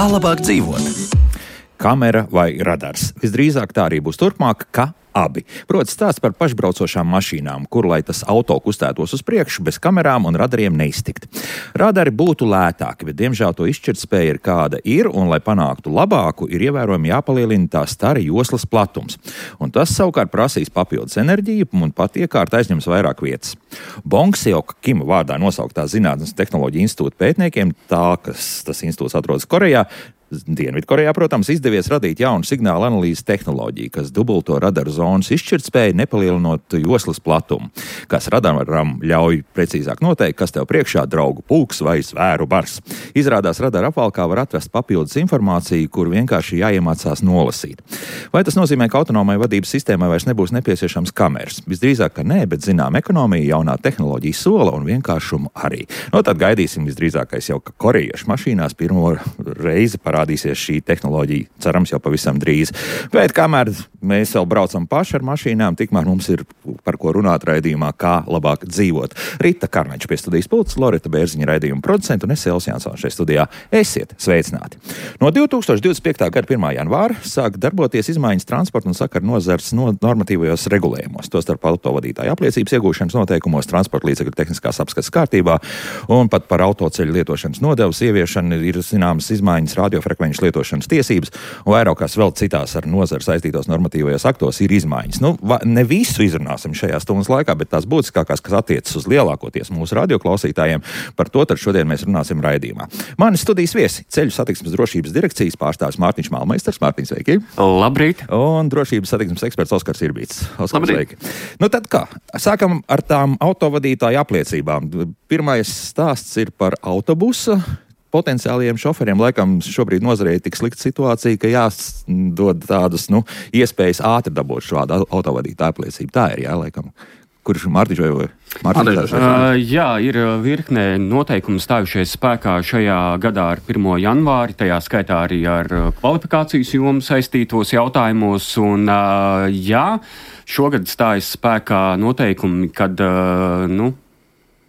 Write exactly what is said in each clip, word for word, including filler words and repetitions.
labāk dzīvot? Kamera vai radars? Visdrīzāk tā arī būs turpmāk, ka abi. Proti stāsts par pašbraucošām mašīnām, kur, lai tas auto kustētos uz priekšu, bez kamerām un radariem neiztikt. Radari būtu lētāki, bet diemžēl to izšķirtspēja ir kāda ir, un, lai panāktu labāku, ir ievērojami jāpalielina tā stara joslas platums. Un tas savukārt prasīs papildus enerģiju un pat iekārt aizņems vairāk vietas. Bongseoka Kima vārdā nosauktā Zinātnes un tehnoloģiju institūta pētniekiem, tā, kas tas institūts atrodas Korejā, Dienvidkorejā, protams, izdevies radīt jaunu signālu analīzes tehnoloģiju, kas dubulto radaru zonas izšķirtspēju, nepalielinot joslas platumu, kas radaram ļauj precīzāk noteikt, kas tev priekšā draugu pulks vai zvēru bars. Izrādās, radara apvalkā var atrast papildus informāciju, kur vienkārši jāiemācās nolasīt. Vai tas nozīmē, ka autonomai vadības sistēmai vairs nebūs nepieciešams kameras? Visdrīzāk, ka nē, bet zinām ekonomija, jaunā tehnoloģija sola un vienkāršumu arī. No tad gaidīsim visdrīzākais jau, ka korejiešu mašīnās pirmo reizi parādās Parādīsies šī tehnoloģija, cerams, jau pavisam drīz. Bet kamēr mēs vēl braucam paši ar mašīnām, tikmēr mums ir par ko runāt raidījumā, kā labāk dzīvot. Rita Karnača pie studijas pults, Loreta Bērziņa raidījuma producenta un es Elvis Jansons šeit studijā. Esiet sveicināti! No divi tūkstoši divdesmit piektā gada pirmā janvāra sāk darboties izmaiņas transporta un sakaru nozares no normatīvajos regulējumos, tostarp autovadītāju apliecības iegūšanas noteikumos, transporta līdzekļu tehniskās apskates kārtībā un pat par autoceļu lietošanas nodevas ieviešanu ir zināmas izmaiņas radio frekvenču lietošanas tiesības, un vairākās vēl citās ar nozari saistītos normatīvajos aktos ir izmaiņas. Nu, va, ne visu izrunāsim šajā stundas laikā, bet tās būtiskākās, kas attiecas uz lielākoties mūsu radioklausītājiem, par to tad šodien mēs runāsim raidījumā. Mani studijas viesi, Ceļu satiksmes drošības direkcijas pārstāvis Mārtiņš Malmeisters. Mārtiņ, sveiki! Labrīt! Un drošības satiksmes eksperts Oskars Irbīts. Oskar, sveiki! Nu tad kā? Sākam ar tām autovadītāju apliecībām. Pirmais stāsts ir par autobusa. Potenciālajiem šoferiem laikam šobrīd nozarei tik slikta situācija, ka jādod tādas, nu, iespējas ātri dabūt šādu autovadītāju apliecību. Tā ir, jā, laikam. Kurš Mārtiņš vai Mārtiņš? Uh, jā, ir virknē noteikumu stājušies spēkā šajā gadā ar pirmo janvāri, tajā skaitā arī ar kvalifikācijas jomu saistītos jautājumos. Un, uh, jā, šogad stājas spēkā noteikumi, kad, uh, nu,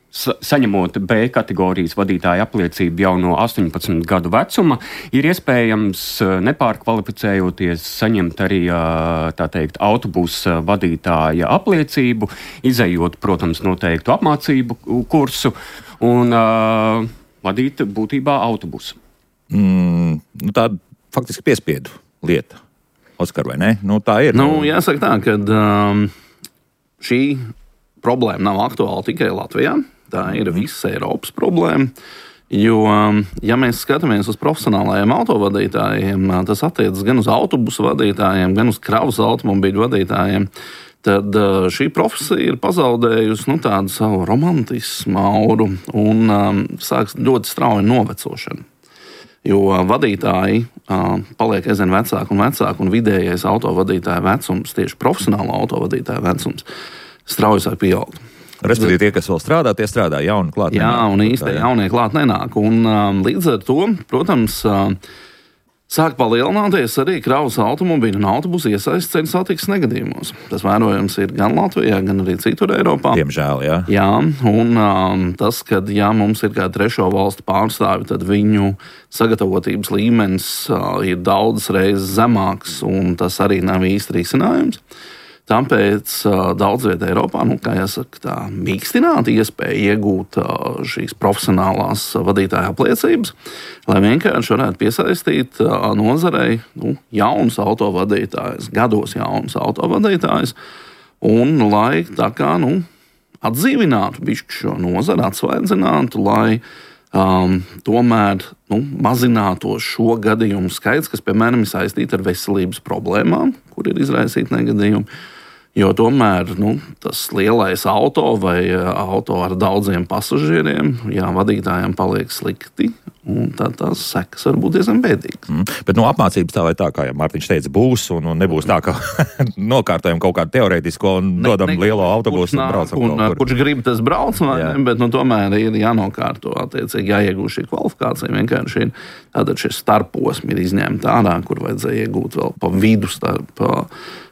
saņemot B kategorijas vadītāja apliecību jau no astoņpadsmit gadu vecuma, ir iespējams nepārkvalificējoties saņemt arī, tā teikt, autobusa vadītāja apliecību, izejot, protams, noteiktu apmācību kursu un uh, vadīt būtībā autobusu. Mm, nu tā faktiski piespiedu lieta, Oskar, vai ne? Nu tā ir. Nu, jāsaka tā, ka um, šī problēma nav aktuāla tikai Latvijā. Tā ir visas Eiropas problēma, jo, ja mēs skatāmies uz profesionālajiem autovadītājiem, tas attiecas gan uz autobusu vadītājiem, gan uz kravas automobīļu vadītājiem, tad šī profesija ir pazaudējusi nu, tādu savu romantismu auru un um, sāks ļoti strauji novecošana. Jo vadītāji uh, paliek aizvien vecāki un vecāki, un vidējais autovadītāja vecums, tieši profesionāla autovadītāja vecums, strauji sāk pieaugt. Respektīvi, tie, kas vēl strādā, tie strādā jauni klāt. Jā, nenāk, un īsti jaunie klāt nenāk. Un um, līdz ar to, protams, uh, sāk palielināties arī kravas automobīļu un autobusu iesaistes ceļu satiksmes negadījumos. Tas vērojams ir gan Latvijā, gan arī citur Eiropā. Diemžēl, jā. Jā, un um, tas, kad jā, mums ir kā trešo valstu pārstāvi, tad viņu sagatavotības līmenis uh, ir daudzas reizes zemāks, un tas arī nav īsti risinājums. Tāpēc uh, daudz vietā Eiropā, nu, kā jāsaka, tā mīkstināt iespēju iegūt uh, šīs profesionālās uh, vadītāja apliecības, lai vienkārši varētu piesaistīt uh, nozarei nu, jaunus autovadītājus, gados jaunus autovadītājus, un lai tā kā nu, atdzīvinātu bišķi šo nozari, atsvaidzinātu, lai um, tomēr nu, mazinātos šo gadījumu skaits, kas, piemēram, ir saistīti ar veselības problēmām, kur ir izraisīti negadījumi. Jo tomēr nu, tas lielais auto vai auto ar daudziem pasažieriem, jā, vadītājiem paliek slikti, un tad tās sekas var būt diezgan bēdīgas. Mm, bet no apmācības tā vai tā, kā jau Mārtiņš teica, būs, un, un nebūs tā, ka nokārtojam kaut kādu teorētisko un ne, dodam ne, lielo autobusu un braucam un, kaut kur. Kurš grib, tas brauc, vai ne, bet nu, tomēr ir jānokārto, attiecīgi jāiegūst šī kvalifikācija, vienkārši ir tātad šie starposmi ir izņemti ārā, kur vajadzēja iegūt vēl pa vidu starp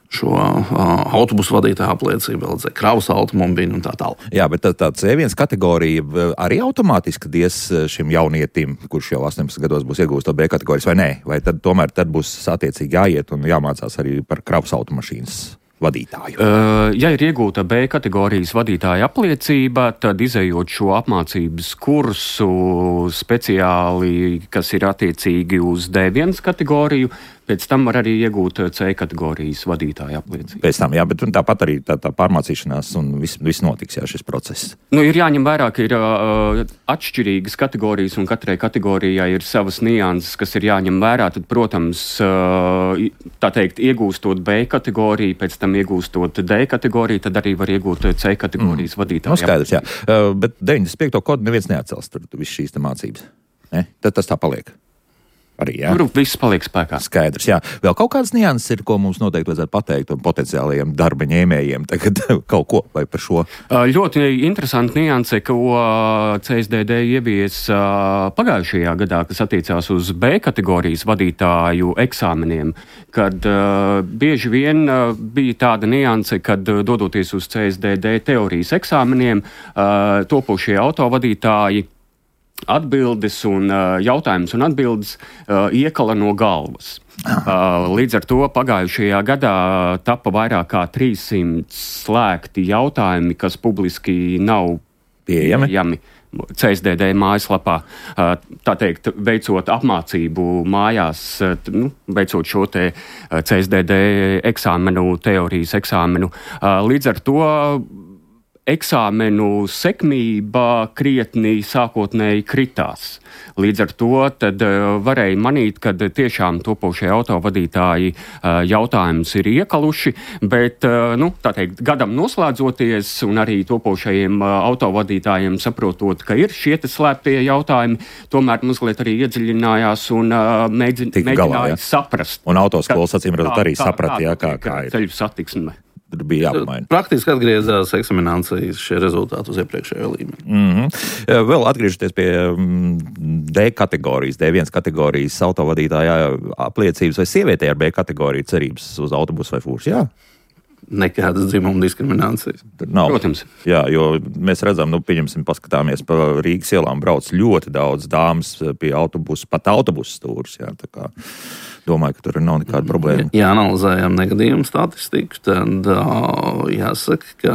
šo uh, autobusu vadītāju apliecību, L Z kravas automobīļu un tā tālāk. Jā, bet tā, tā C viens kategorija arī automātiski dies šim jaunietim, kurš jau astoņpadsmit gados būs iegūst to B kategorijas, vai nē? Vai tad tomēr tad būs attiecīgi jāiet un jāmācās arī par kravas automašīnas vadītāju? Uh, ja ir iegūta B kategorijas vadītāja apliecība, tad izējot šo apmācības kursu speciāli, kas ir attiecīgi uz D viens kategoriju, pēc tam var arī iegūt C kategorijas vadītāja apliecību. Pēc tam, jā, bet tāpat arī tā, tā pārmācīšanās un viss vis notiks, jā, šis process. Nu, ir jāņem vērā, ka ir uh, atšķirīgas kategorijas un katrai kategorijai ir savas nianses, kas ir jāņem vērā. Tad, protams, uh, tā teikt, iegūstot B kategoriju, pēc tam iegūstot D kategoriju, tad arī var iegūt C kategorijas mm. vadītāja. Nu, skaidrs, jā. Uh, bet deviņdesmit piekto kodu neviens neatcels tur visu šīs mācības. Ne? Tad tas tā paliek. Arī, jā. Tur viss paliek spēkā. Skaidrs, jā. Vēl kaut kādas nianses ir, ko mums noteikti vajadzētu pateikt un potenciālajiem darba ņēmējiem tagad kaut ko vai par šo? Ļoti interesanti nianse, ko C S D D ievies pagājušajā gadā, kas attiecās uz B kategorijas vadītāju eksāmeniem, kad uh, bieži vien uh, bija tāda nianse, kad uh, dodoties uz C S D D teorijas eksāmeniem, uh, topošie autovadītāji atbildes un uh, jautājums un atbildes uh, iekala no galvas. Uh, līdz ar to pagājušajā gadā tapa vairāk kā trīssimt slēgti jautājumi, kas publiski nav pieejami. pieejami C S D D mājaslapā, uh, tā teikt, veicot apmācību mājās, uh, nu, veicot šo te uh, C S D D eksāmenu, teorijas eksāmenu. Uh, līdz ar to eksāmenu sekmība krietni sākotnēji kritās. Līdz ar to tad uh, varēja manīt, ka tiešām topošie autovadītāji uh, jautājums ir iekaluši, bet, uh, nu, tā teikt, gadam noslēdzoties un arī topošajiem uh, autovadītājiem saprotot, ka ir šie te slēptie jautājumi, tomēr mazliet arī iedziļinājās un uh, mēģin, mēģināja galā, saprast. Un autoskolas acīm redzot arī saprat, jā, kā, kā ir. Ceļu satiksme. Tur bija jāpamaina. Praktiski atgriezās eksaminācijas šie rezultāti uz iepriekšējo līmeni. Mm-hmm. Vēl atgriežoties pie D kategorijas, D viens kategorijas autovadītāja apliecības, vai sievietē ar B kategoriju cerības uz autobusu vai fūrs? Jā. Nekādas dzimuma diskriminācijas. Nav. Protams. Jā, jo mēs redzam, nu, pieņemsim, paskatāmies pa Rīgas ielām brauc ļoti daudz dāmas pie autobusu, pat autobusu stūrus, jā, tā kā domāju, ka tur nav nekāda problēma. Ja analizējam negadījumu statistiku, tad uh, jāsaka, ka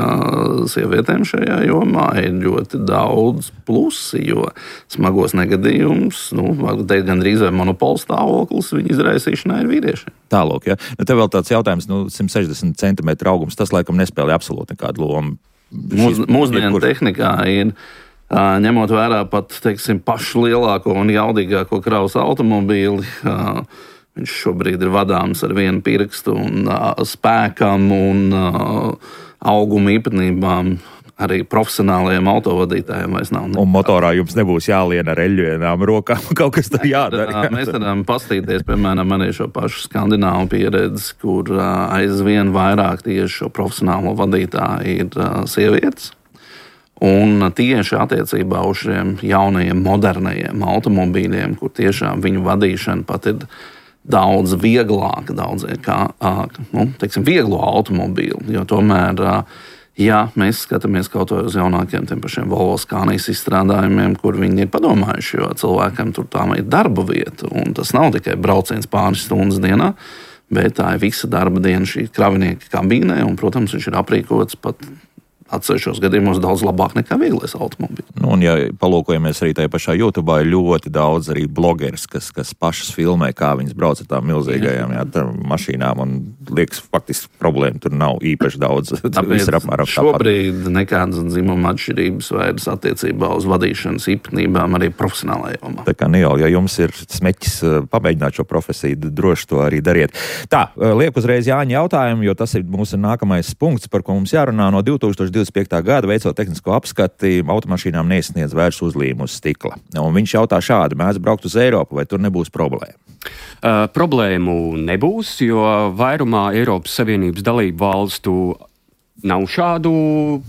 sievietēm šajā jomā ir ļoti daudz plusi, jo smagos negadījumus, nu, teikt, gandrīz vai monopola stāvoklis viņa izraisīšanā ir vīriešiem. Tālāk, ja. Nu, te vēl tāds jautājums, nu, simt sešdesmit centimetru augums, tas laikam nespēlē absolūti nekādu lomu. Mūs, mūsdienu kur... tehnikā ir, uh, ņemot vērā pat, teiksim, pašu lielāko un jaudīgāko kravas automobīli, uh, viņš šobrīd ir vadāms ar vienu pirkstu un uh, spēkam un uh, auguma īpatnībām. Arī profesionālajiem autovadītājiem vairs nav. Un motorā jums nebūs jālien ar eļļienām rokām, kaut kas tur jādara. Mēs varam pastīties, piemēram, arī šo pašu skandināvu pieredzi, kur uh, aizvien vairāk tieši šo profesionālo vadītāju ir uh, sievietes. Un tieši attiecībā uz šiem jaunajiem, modernajiem automobīļiem, kur tiešām viņu vadīšana pat ir daudz vieglāka, daudz kā, nu, teiksim, vieglo automobīlu, jo tomēr, ja mēs skatāmies kaut vai uz jaunākiem tiem pašiem Volvo Scanias izstrādājumiem, kur viņi ir padomājuši, jo cilvēkam tur tā ir darba vieta, un tas nav tikai brauciens pāris stundas dienā, bet tā ir visa darba diena šī kravinieka kabīnē, un, protams, viņš ir aprīkots pat atsevišķos gadījumos daudz labāk nekā vieglais automobīls. Nu, un, ja palūkojamies arī tajā pašā YouTube, ir ļoti daudz arī blogeris, kas, kas pašas filmē, kā viņas brauc ar tām milzīgajām jā, tā, mašīnām, un liekas, faktiski problēma tur nav īpaši daudz. Tāpēc šobrīd nekādas dzimuma atšķirības vairs attiecībā uz vadīšanas īpatnībām arī profesionālajā jomā. Tā kā Nijol, ja jums ir smeķis pamēģināt šo profesiju, droši to arī dariet. Tā, liek uzreiz Jāņa jautājumu, jo tas ir mūsu nākamais punkts, par ko mums jārunā no divtūkstoš divdesmit piektā gada veicot tehnisko apskati, automašīnām neizsniedz vairs uzlījumu uz stikla. Un viņš jautā šādi, mēs braukt uz Eiropu, vai tur nebūs problēma? Uh, problēmu nebūs, jo vairumā Eiropas Savienības dalību valstu nav šādu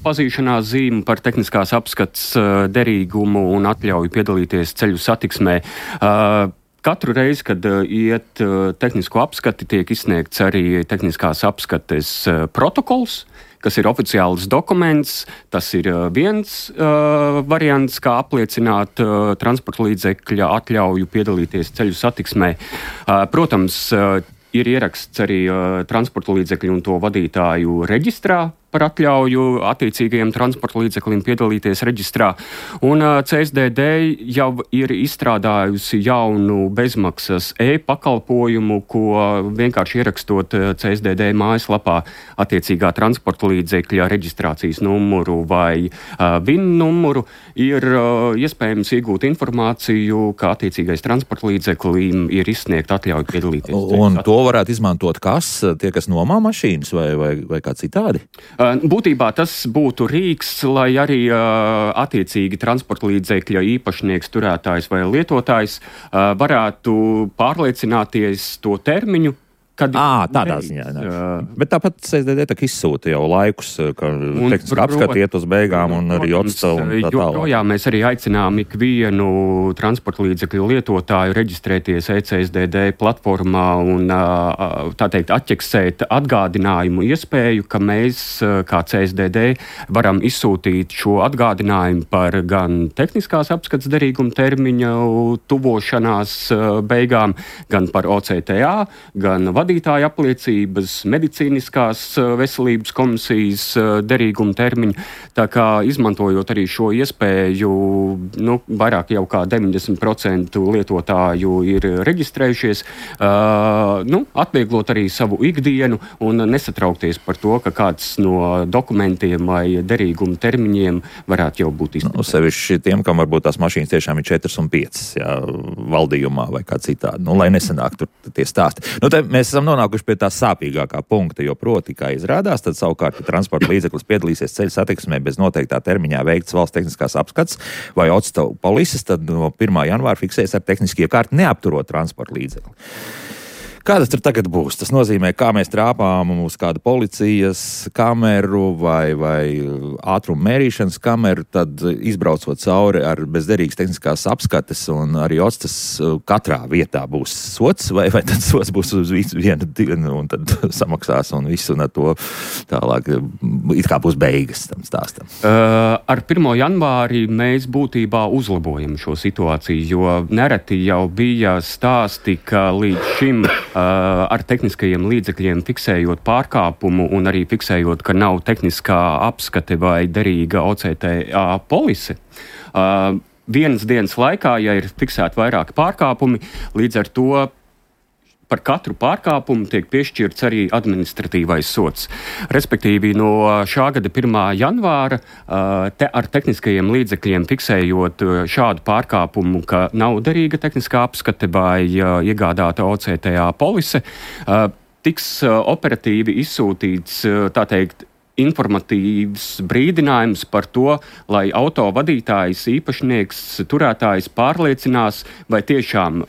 pazīšanās zīmu par tehniskās apskats uh, derīgumu un atļauju piedalīties ceļu satiksmē. Uh, Katru reizi, kad uh, iet uh, tehnisko apskati, tiek izsniegts arī tehniskās apskates uh, protokols, kas ir oficiāls dokuments. Tas ir uh, viens uh, variants, kā apliecināt uh, transporta līdzekļa atļauju piedalīties ceļu satiksmē. Uh, protams, uh, ir ieraksts arī uh, transporta līdzekļu un to vadītāju reģistrā par atļauju attiecīgajiem transporta līdzekļiem piedalīties reģistrā. Un uh, C S D D jau ir izstrādājusi jaunu bezmaksas e-pakalpojumu, ko vienkārši ierakstot C S D D mājaslapā attiecīgā transporta līdzekļa reģistrācijas numuru vai uh, V I N numuru, ir uh, iespējams iegūt informāciju, ka attiecīgais transporta līdzeklim ir izsniegt atļauju piedalīties. Un to varētu izmantot kas? Tie, kas nomā mašīnas vai, vai, vai kā citādi? Būtībā tas būtu rīks, lai arī uh, attiecīgi transporta līdzekļa īpašnieks, turētājs vai lietotājs uh, varētu pārliecināties to termiņu, kad à, tādā reiz, ziņā. Uh, Bet tāpat C S D D izsūta jau laikus, ka tehniski apskati iet uz beigām un arī atstau un tā tālāk. Joprojām mēs arī aicinām ikvienu transporta līdzekļu lietotāju reģistrēties E C S D D platformā un tā teikt atķeksēt atgādinājumu iespēju, ka mēs kā C S D D varam izsūtīt šo atgādinājumu par gan tehniskās apskates derīguma termiņa tuvošanās beigām, gan par O C T A, gan vadītāja apliecības, medicīniskās veselības komisijas derīguma termiņu. Tā kā izmantojot arī šo iespēju, nu, vairāk jau kā deviņdesmit procenti lietotāju ir reģistrējušies, uh, nu, atvieglot arī savu ikdienu un nesatraukties par to, ka kāds no dokumentiem vai derīguma termiņiem varētu jau būt izmantot. Nu, sevišķi tiem, kam varbūt tās mašīnas tiešām ir četras un piecas, jā, valdījumā vai kā citādi. Nu, lai nesanāk tur tie stāsti. Nu, te mēs esam nonākuši pie tā sāpīgākā punkta, jo proti, kā izrādās, tad savukārt, ja transporta līdzeklis piedalīsies ceļu satiksmē bez noteiktā termiņā veikts valsts tehniskās apskats vai odstavu polises, tad no pirmā janvāra fiksēs ar tehniski iekārti neapturot transporta līdzekli. Kā tas tur tagad būs? Tas nozīmē, kā mēs trāpām uz kādu policijas kameru vai, vai ātrumu mērīšanas kameru, tad izbraucot cauri ar bezderīgas tehniskās apskates un arī odstas katrā vietā būs sots, vai, vai tad sots būs uz vienu dienu un tad samaksās un viss un ar to tālāk it kā būs beigas tam stāstam. Uh, ar pirmo janvāri mēs būtībā uzlabojam šo situāciju, jo nereti jau bija stāsti, ka līdz šim Uh, ar tehniskajiem līdzekļiem fiksējot pārkāpumu un arī fiksējot, ka nav tehniskā apskate vai derīga O C T A polise. Uh, vienas dienas laikā, ja ir fiksēti vairāki pārkāpumi, līdz ar to par katru pārkāpumu tiek piešķirts arī administratīvais sots. Respektīvi, no šā gada pirmā janvāra te ar tehniskajiem līdzekļiem fiksējot šādu pārkāpumu, ka nav derīga tehniskā apskate vai iegādāta O C T A polise, tiks operatīvi izsūtīts, tā teikt, informatīvs brīdinājums par to, lai auto vadītājs, īpašnieks, turētājs pārliecinās, vai tiešām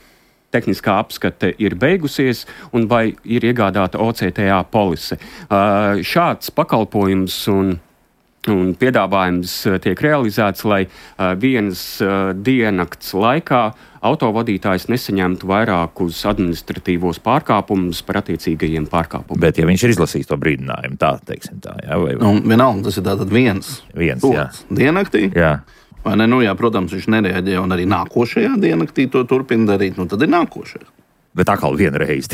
tehniskā apskate ir beigusies un vai ir iegādāta O C T A polise. Uh, šāds pakalpojums un, un piedāvājums tiek realizēts, lai uh, vienas uh, diennakts laikā autovadītājs nesaņemtu vairākus administratīvos pārkāpumus par attiecīgajiem pārkāpumiem. Bet ja viņš ir izlasījis to brīdinājumu, tā teiksim tā, jā? Vai, vai? Nu, vienalga, tas ir tātad viens. Viens, jā. Diennaktī. Jā. Vai ne? Nu, jā, protams, viņš nereaģē un arī nākošajā diennaktī to turpina darīt, nu tad ir nākošais. Bet atkal vienreiz.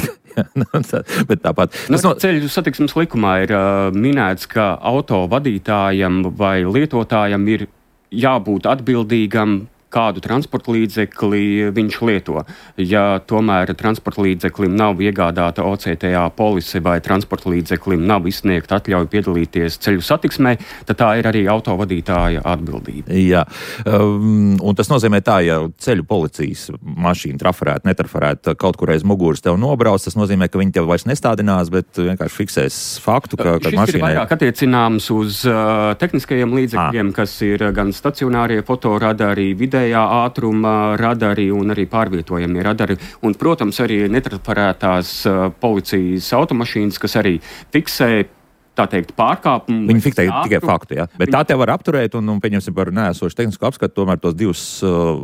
Bet tāpat. Nu, no... Ceļu satiksmes likumā ir uh, minēts, ka auto vadītājam vai lietotājam ir jābūt atbildīgam, kādu transporta līdzekli viņš lieto. Ja tomēr transporta līdzeklim nav iegādāta O C T A polise vai transporta līdzeklim nav izsniegta atļauja piedalīties ceļu satiksmē, tad tā ir arī autovadītāja atbildība. Jā, um, un tas nozīmē tā, ja ceļu policijas mašīna trafarēta, netrafarēta kaut kur aiz muguras tev nobrauc, tas nozīmē, ka viņi tev vairs nestādinās, bet vienkārši fiksēs faktu, ka, ka mašīnai... Šis ir vairāk attiecināms uz uh, tehniskajiem līdzekļiem, à. kas ir gan stacionārie fotoradari, vidē ātruma radari un arī pārvietojamie radari. Un, protams, arī netrafarētās uh, policijas automašīnas, kas arī fiksē, tā teikt, pārkāpumu. Viņi fiksē tikai faktu, jā. Bet Viņi... tā te var apturēt un, un pieņemsim par neesošu tehnisko apskatu, tomēr tos divus uh,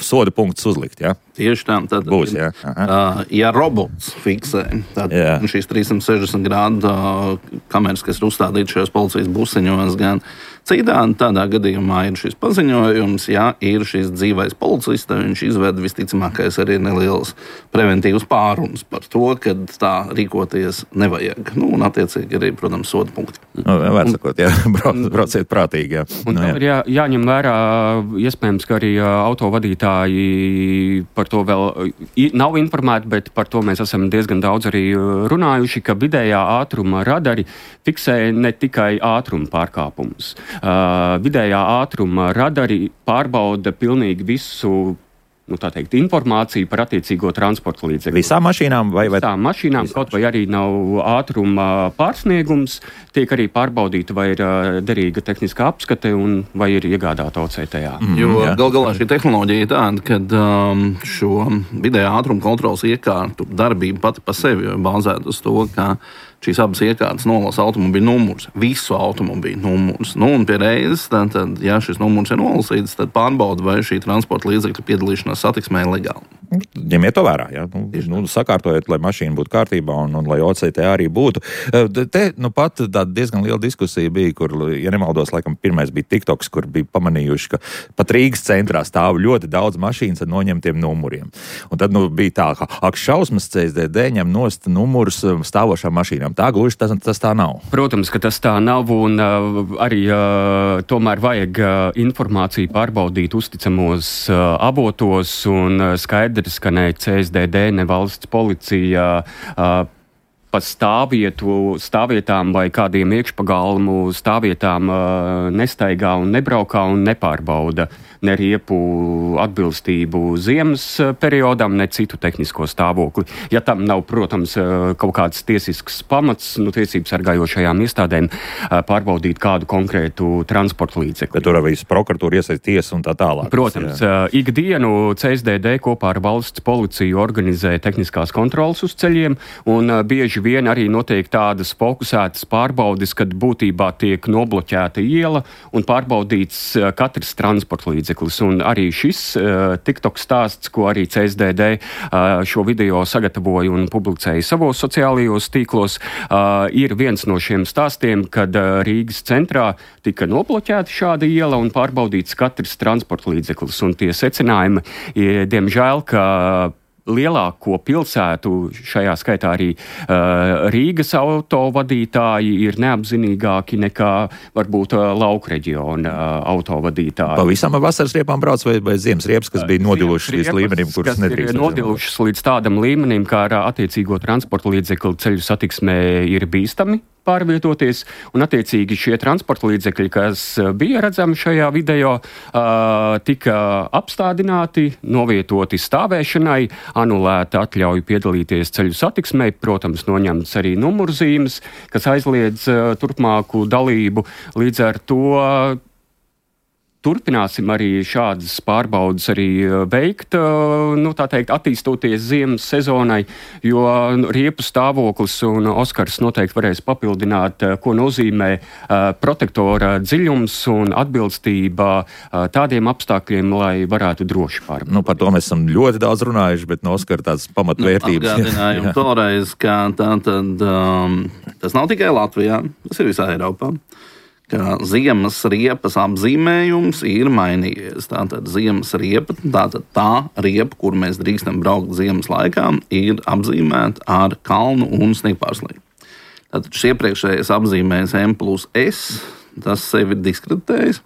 soda punktus uzlikt, jā? Tieši tā. Tad, Būs, jā. Uh, ja robots fiksē, tad jā. Šīs trīssimt sešdesmit grādu uh, kameras, kas ir uzstādītas šajos policijas busiņos, gan citādi, tādā gadījumā ir šis paziņojums, ja ir šis dzīvais policists, tad viņš izved visticamākais arī neliels preventīvs pārunas par to, ka tā rīkoties nevajag. Nu, un attiecīgi arī, protams, soda punkti. Nu, var sakot, jā, brauc, brauciet prātīgi, jā. Un nu, jā. ir jā, jāņem vērā, iespējams, ka arī autovadītāji par to vēl nav informēti, bet par to mēs esam diezgan daudz arī runājuši, ka vidējā ātruma radari fiksē ne tikai ātruma pārkāpumus. Uh, vidējā ātruma radari pārbauda pilnīgi visu, nu, tā teikt, informāciju par attiecīgo transporta līdzekli. Visām mašīnām vai? vai... Visām mašīnām, Visām. Kaut vai arī nav ātruma pārsniegums, tiek arī pārbaudīta, vai ir derīga tehniskā apskate un vai ir iegādāta O C T A. Mm, jo gal galā šī tehnoloģija ir tāda, ka um, šo vidējā ātruma kontrolas iekārtu darbība pati pa sevi ir bāzēta uz to, ka šīs abas iekārtas nolasa automobīļu numurus, visu automobīļu numurus. Nu, un pie reizes, tad, tad, ja šis numurs ir nolasīts, tad pārbauda, vai šī transporta līdzekļa piedalīšanās satiksmē ir legāla. Ņemiet to vērā, ja? nu, nu, sakārtojiet, lai mašīna būtu kārtībā un, un lai O C T A arī būtu. Te nu pat tāda diezgan liela diskusija bija, kur, ja nemaldos, laikam pirmais bija TikToks, kur bija pamanījuši, ka pat Rīgas centrā stāv ļoti daudz mašīnas ar noņemtiem numuriem. Un tad nu, bija tā, ka ak šausmas C S D D ņem nost numurus stāvošām mašīnām. Tā gluži tas, tas tā nav. Protams, ka tas tā nav, un uh, arī uh, tomēr vajag uh, informāciju pārbaudīt uzticamos uh, avotos, un uh, skaidrs, ka ne C S D D, ne valsts policija uh, pa stāvvietu, stāvvietām vai kādiem iekšpagalmu stāvvietām uh, nestaigā un nebraukā un nepārbauda ne riepu atbilstību ziemas periodam, ne citu tehnisko stāvokli. Ja tam nav, protams, kaut kāds tiesisks pamats, nu, tiesības sargājošajām iestādēm pārbaudīt kādu konkrētu transporta līdzekli. Bet tur arī prokuratūra iesaist tiesa un tā tālāk. Protams, jā. Ikdienu C S D D kopā ar valsts policiju organizē tehniskās kontrolas uz ceļiem, un bieži vien arī notiek tādas fokusētas pārbaudes, kad būtībā tiek nobloķēta iela un pārbaudīts katrs transporta līdzeklis. Un arī šis uh, TikTok stāsts, ko arī C S D D uh, šo video sagatavoja un publicēja savos sociālajos tīklos, uh, ir viens no šiem stāstiem, kad uh, Rīgas centrā tika nobloķēta šāda iela un pārbaudīts katrs transporta līdzeklis. Un tie secinājumi, diemžēl, ka lielāko pilsētu, šajā skaitā arī uh, Rīgas autovadītāji, ir neapzinīgāki nekā varbūt uh, lauku reģiona uh, autovadītāji. Pavisam vasaras riepām brauc vai, vai ziemas riepas, kas bija nodilušas līdz līmenim, kuras nedrīkst. Nodilušas līdz tādam līmenim, kā ar attiecīgo transporta līdzekli ceļu satiksmē ir bīstami pārvietoties, un attiecīgi šie transporta līdzekļi, kas bija redzami šajā video, tika apstādināti, novietoti stāvēšanai, anulēta atļauja piedalīties ceļu satiksmē, protams, noņemts arī numurzīmes, kas aizliedz turpmāku dalību. Līdz ar to turpināsim arī šādas pārbaudas arī veikt, nu, tā teikt, attīstoties ziemas sezonai, jo riepu stāvoklis, un Oskars noteikti varēs papildināt, ko nozīmē protektora dziļums un atbilstība tādiem apstākļiem, lai varētu droši pārbaudīt. Nu, par to mēs esam ļoti daudz runājuši, bet no Oskara tādas pamatvērtības. Nu, atgādinājumu toreiz, ka tā tad, um, tas nav tikai Latvijā, tas ir visā Eiropā. Ka ziemas riepas apzīmējums ir mainījies. Tātad ziemas riepa, tātad tā riepa, kur mēs drīkstam braukt ziemas laikā, ir apzīmēta ar kalnu un sniegpārslīgu. Tātad šis iepriekšējais apzīmējums M plus S, tas sevi ir diskreditējis,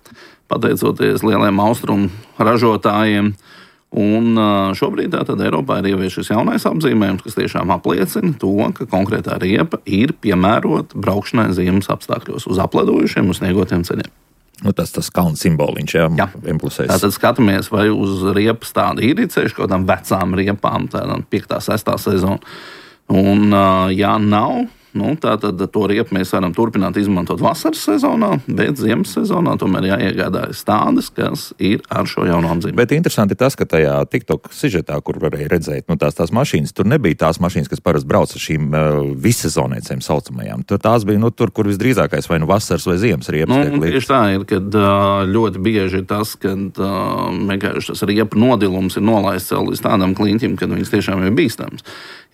pateicoties lieliem austrumu ražotājiem. Un šobrīd tātad Eiropā ir ievies šis jaunais apzīmējums, kas tiešām apliecina to, ka konkrētā riepa ir piemērota braukšanai ziemas apstākļos uz apledojušiem un sniegotiem ceļiem. Nu, tas tas kalns simboliņš, jā, jā. M plus S. Tātad skatāmies, vai uz riepas tādu ir ceļš, kaut kādām vecām riepām, tādām piektā, sestā sezona. Un, ja nav, Nu, tātad to riepu mēs varam turpināt izmantot vasaras sezonā, bet ziemas sezonā tomēr jāiegādājas tādas, kas ir ar šo jauno apzīmējumu. Bet interesanti tas, ka tajā TikTok sižetā, kur varēja redzēt, nu, tās, tās mašīnas, tur nebija tās mašīnas, kas parasti brauc ar šīm uh, vissezonēcēm saucamajām. Tur tās bija nu, tur, kur visdrīzākais vai nu vasaras vai ziemas riepas. Nu, tieši tā ir, kad uh, ļoti bieži ir tas, kad uh, vienkārši tas riepu nodilums ir nolaists līdz tādam kliņķim, kad viņas tiešām ir bīstams.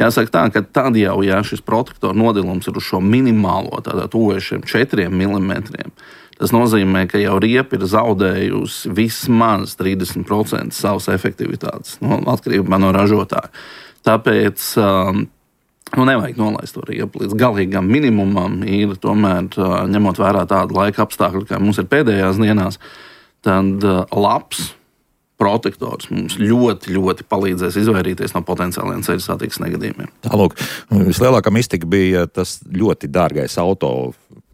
Jāsaka tā, ka tad jau, ja šis protektoru nodilums ir uz šo minimālo, tādā tuvojušiem četriem milimetriem, tas nozīmē, ka jau riepa ir zaudējusi vismaz trīsdesmit procenti savas efektivitātes, no, atkarībā no ražotāja. Tāpēc um, nu, nevajag nolaist to riepu līdz galīgam minimumam, ir tomēr uh, ņemot vērā tādu laika apstākļu, kā mums ir pēdējās dienās, tad uh, labs protektors mums ļoti, ļoti palīdzēs izvairīties no potenciāliem ceļu satiksmes negadījumiem. Tālūk, vislielākā mistika bija tas ļoti dārgais auto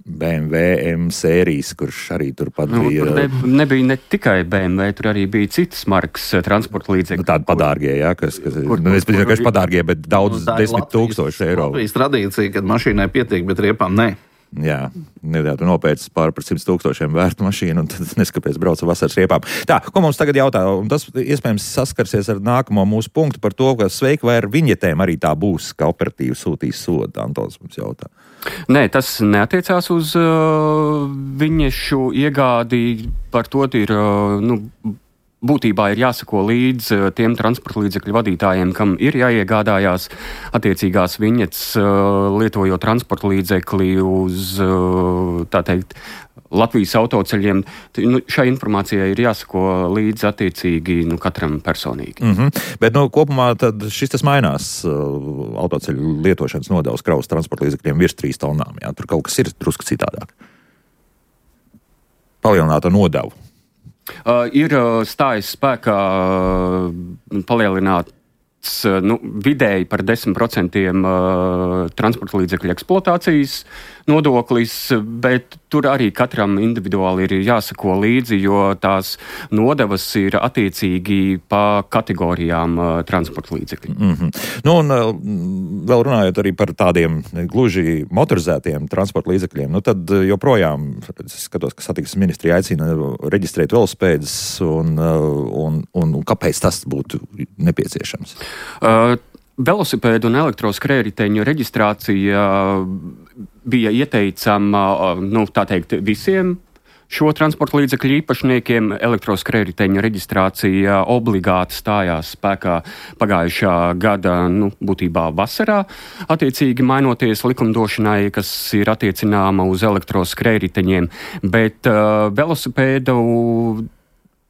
B M W M sērijas, kurš arī turpat nu, bija. Tur ne, nebija ne tikai B M W, tur arī bija citas markas transporta līdzekļi. Nu, tādi padārgie, jā, kas, kas kur, nu, es kur, nezinu, kas padārgie, bet daudz nu, desmit tūkstoši eiro. Latvijas tradīcija, kad mašīnai pietiek, bet riepām ne. Jā, nedā, tu nopērci pār par simt tūkstošiem vērtu mašīnu un tad neskapies brauc ar vasaras riepām. Tā, ko mums tagad jautā, un tas iespējams saskarsies ar nākamo mūsu punktu par to, ka sveiki vai ar viņetēm arī tā būs, ka operatīvi sūtīs sodu, Antons mums jautā. Nē, tas neatiecās uz uh, viņešu iegādi, par to ir, uh, nu, būtībā ir jāsako līdz tiem transporta līdzekļu vadītājiem, kam ir jāiegādājās attiecīgās viņetes, lietojot transporta līdzekli uz, tā teikt, Latvijas autoceļiem. Nu, šai informācijai ir jāsako līdz attiecīgi nu, katram personīgi. Mm-hmm. Bet nu, kopumā tad šis tas mainās autoceļu lietošanas nodevs kravas transporta līdzekļiem virs trīs tonām. Jā? Tur kaut kas ir drusku citādāk. Palielināta nodevu. Uh, ir uh, stājis spēkā uh, palielināts uh, nu, vidēji par desmit procentiem uh, transporta līdzekļu eksploatācijas nodoklis, bet tur arī katram individuāli ir jāsako līdzi, jo tās nodevas ir attiecīgi pa kategorijām uh, transporta līdzekļu. Mm-hmm. Nu, un uh, vēl runājot arī par tādiem gluži motorizētiem transporta līdzekļiem, nu tad joprojām, es skatos, ka satiksmes ministrija aicina reģistrēt velospēdus, un, un, un, un kāpēc tas būtu nepieciešams? Uh, Velosipēdu un elektroskrējriteņu reģistrācija bija ieteicama, nu, tā teikt, visiem šo transporta līdzekļu īpašniekiem. Elektroskrējriteņu reģistrācija obligāti stājās spēkā pagājušā gada, nu, būtībā vasarā, attiecīgi mainoties likumdošanai, kas ir attiecināma uz elektroskrējriteņiem, bet uh, velosipēdu,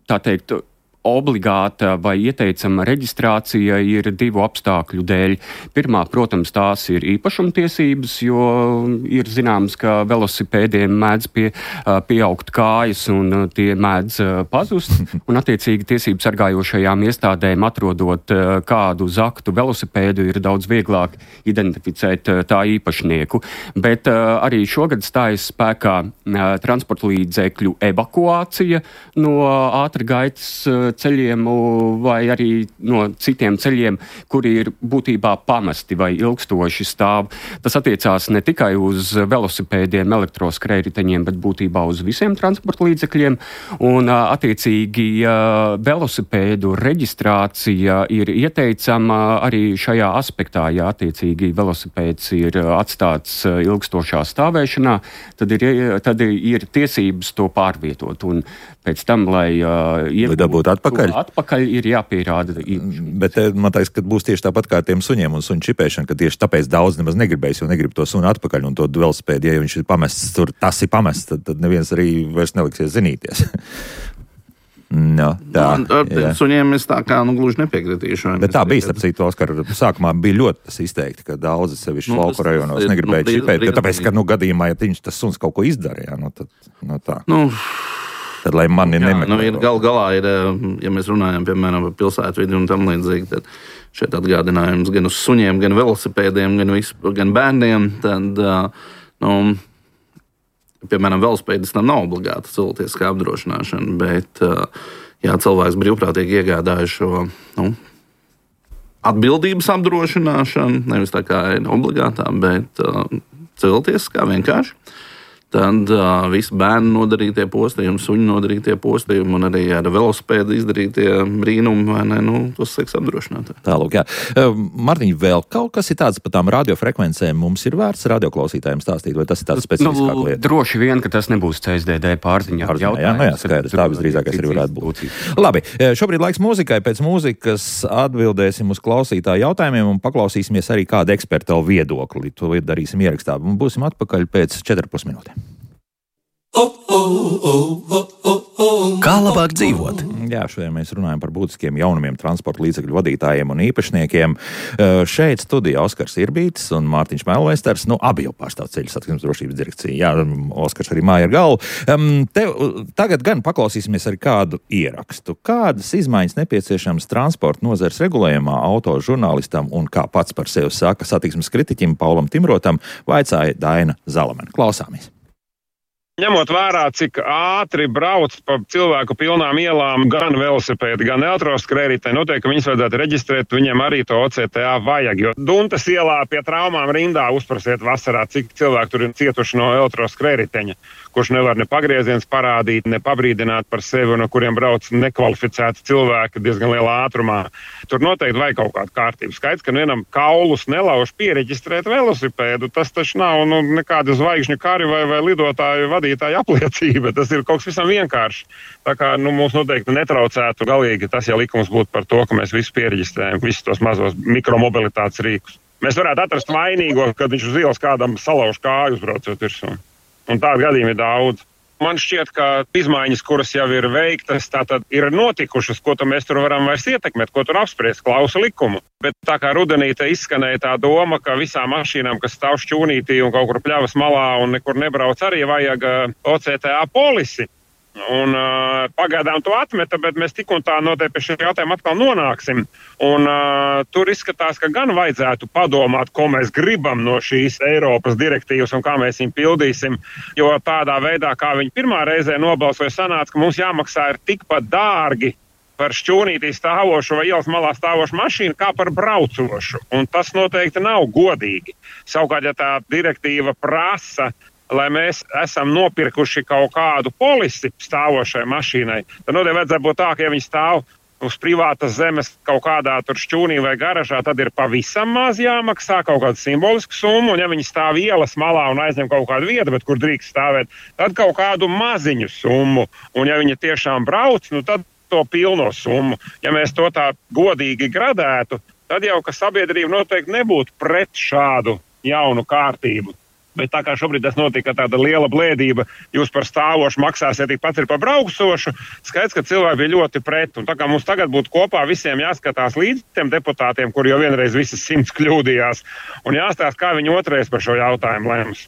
tā teikt, obligāta vai ieteicama reģistrācija ir divu apstākļu dēļ. Pirmā, protams, tās ir īpašumtiesības, jo ir zināms, ka velosipēdiem mēdz pie, pieaugt kājas un tie mēdz pazust. Un attiecīgi tiesību sargājošajām iestādēm atrodot kādu zaktu velosipēdu ir daudz vieglāk identificēt tā īpašnieku. Bet arī šogad stājas spēkā transporta līdzekļu evakuācija no ātrgaitas ceļiem vai arī no citiem ceļiem, kuri ir būtībā pamesti vai ilgstoši stāv. Tas attiecās ne tikai uz velosipēdiem, elektroskrējriteņiem, bet būtībā uz visiem transporta līdzekļiem. Un attiecīgi velosipēdu reģistrācija ir ieteicama arī šajā aspektā. Ja attiecīgi velosipēds ir atstāts ilgstošā stāvēšanā, tad ir, tad ir tiesības to pārvietot. Un pēc tam, lai uh, iegūtu atpakaļ. atpakaļ, ir jāpierāda. Bet man liekas, ka būs tieši tāpat kā ar tiem suņiem un suņu čipēšana, ka tieši tāpēc daudz nemaz negribēs, jo negrib to suni atpakaļ un to velosipēdu, ja viņš ir pamests tur, tas ir pamests, tad, tad neviens arī vairs neliksies zinīties. No, tā, no, ar suņiem es tā kā nu, gluži nepiekritīšu. Bet tā bija, starp citu, Oskar, sākumā bija ļoti tas izteikti, ka daudzi sevišķi nu, lauku rajonos negribēja nu, čipēt, tāpēc, ka nu, gadījumā, ja viņš tas suns kaut ko izdara, jā, nu, tad no tā. Nu, tad, lai mani nemeklē. Nu, ir, gal galā ir, ja mēs runājam, piemēram, par pilsētu vidi un tam līdzīgi, tad šeit atgādinājums gan uz suņiem, gan velosipēdiem, gan, visu, gan bērniem, tad, nu, piemēram, velosipēdis tam nav obligāta cilvēciskā apdrošināšana, bet, ja cilvēks brīvprātīgi iegādāja šo, nu, atbildības apdrošināšanu, nevis tā kā ir obligātā, bet cilvēciskā vienkārši. Tad uh, visi bērnu nodarītie postījumi, suņu nodarītie postījumi un arī ar velosipēdu izdarītie brīnumi, vai ne, nu, tos seks apdrošināt. Tālūk, jā. Martiņ, vēl kaut kas ir tāds par tām radiofrekvencēm mums ir vērts radioklausītājiem stāstīt, vai tas ir tāds specifiskāk lieta? Nu, droši vien, ka tas nebūs C S D D pārziņā. Jā, nu jā, skaidrs, tā visdrīzākais arī varētu būt. Labi, šobrīd laiks mūzikai, pēc mūzikas atbildēsim uz klausītāju jautājumiem un paklausīsimies arī kādu ekspertu viedokli. To darīsim ierakstā. Būsim atpakaļ pēc četrpus minūtēm. Kā labāk dzīvot? Jā, šodien mēs runājam par būtiskiem jaunumiem transporta līdzekļu vadītājiem un īpašniekiem. Šeit studijā Oskars Irbītis un Mārtiņš Melvesters, nu, abi jau pārstāv ceļu satiksmes drošības direkciju. Jā, Oskars arī māja ar galvu. Te, tagad gan paklausīsimies arī kādu ierakstu. Kādas izmaiņas nepieciešams transporta nozares regulējumā auto žurnālistam un kā pats par sevi saka satiksmes kritiķim Paulam Timrotam, vaicāja Daina Zalamene. Klausāmies. Ņemot vērā, cik ātri brauc pa cilvēku pilnām ielām gan velosipēdi, gan elektroskrējēji, noteikti, ka viņus vajadzētu reģistrēt, viņiem arī to O C T A vajag. Jo Duntas ielā pie traumām rindā uzprasiet vasarā, cik cilvēki tur ir cietuši no elektroskrējēja, kurš nevar ne pagrieziens parādīt, ne pabrīdināt par sevi, no kuriem brauc nekvalificēti cilvēki diezgan lielā ātrumā. Tur noteikti vajag kaut kādu kārtību. Skaidrs, ka vienam kaulus nelauž piereģistrēt velosipēdu, tas taču nav nu, nekāda zvaigžņu kari vai, vai lidotāju vadītāju apliecība. Tas ir kaut kas visam vienkārši. Tā kā nu, mums noteikti netraucētu galīgi tas, ja likums būtu par to, ka mēs visu piereģistrējam, visus tos mazos mikromobilitātes rīkus. Mēs varētu atrast vainīgo, kad viņš uz ielas kādam salauž kāju uzbraucot virsū. Un tādu gadījumu ir daudz. Man šķiet, ka izmaiņas, kuras jau ir veiktas, tātad ir notikušas, ko mēs tur varam vairs ietekmēt, ko tur apspriest, klausa likumu. Bet tā kā rudenī te izskanēja tā doma, ka visām mašīnām, kas stāv šķūnītī un kaut kur pļavas malā un nekur nebrauc, arī vajag O C T A polisi. Un uh, pagaidām to atmeta, bet mēs tik un tā noteikti pie šī jautājuma atkal nonāksim. Un uh, tur izskatās, ka gan vajadzētu padomāt, ko mēs gribam no šīs Eiropas direktīvas un kā mēs viņu pildīsim. Jo tādā veidā, kā viņi pirmā reizē nobalsoja, sanāca, ka mums jāmaksā ir tikpat dārgi par šķūnītī stāvošu vai ielas malā stāvošu mašīnu, kā par braucošu. Un tas noteikti nav godīgi. Savukārt, ja tā direktīva prasa, lai mēs esam nopirkuši kaut kādu polisi stāvošai mašīnai, tad noteikti vajadzētu būt tā, ka ja viņi stāv uz privātas zemes kaut kādā tur šķūnī vai garažā, tad ir pavisam maz jāmaksā kaut kādu simbolisku summu, un ja viņi stāv ielas malā un aizņem kaut kādu vietu, bet kur drīkst stāvēt, tad kaut kādu maziņu summu, un ja viņi tiešām brauc, nu tad to pilno summu. Ja mēs to tā godīgi gradētu, tad jau, ka sabiedrība noteikti nebūtu pret šādu jaunu kārtību. Bet tā kā šobrīd tas notika tāda liela blēdība, jūs par stāvošu maksāsiet tikpat ir par braucošu, skaidrs, ka cilvēki bija ļoti pret. Un tā kā mums tagad būtu kopā visiem jāskatās līdz tiem deputātiem, kuri jau vienreiz visas simts kļūdījās, un jāstāsta, kā viņi otrais par šo jautājumu lems.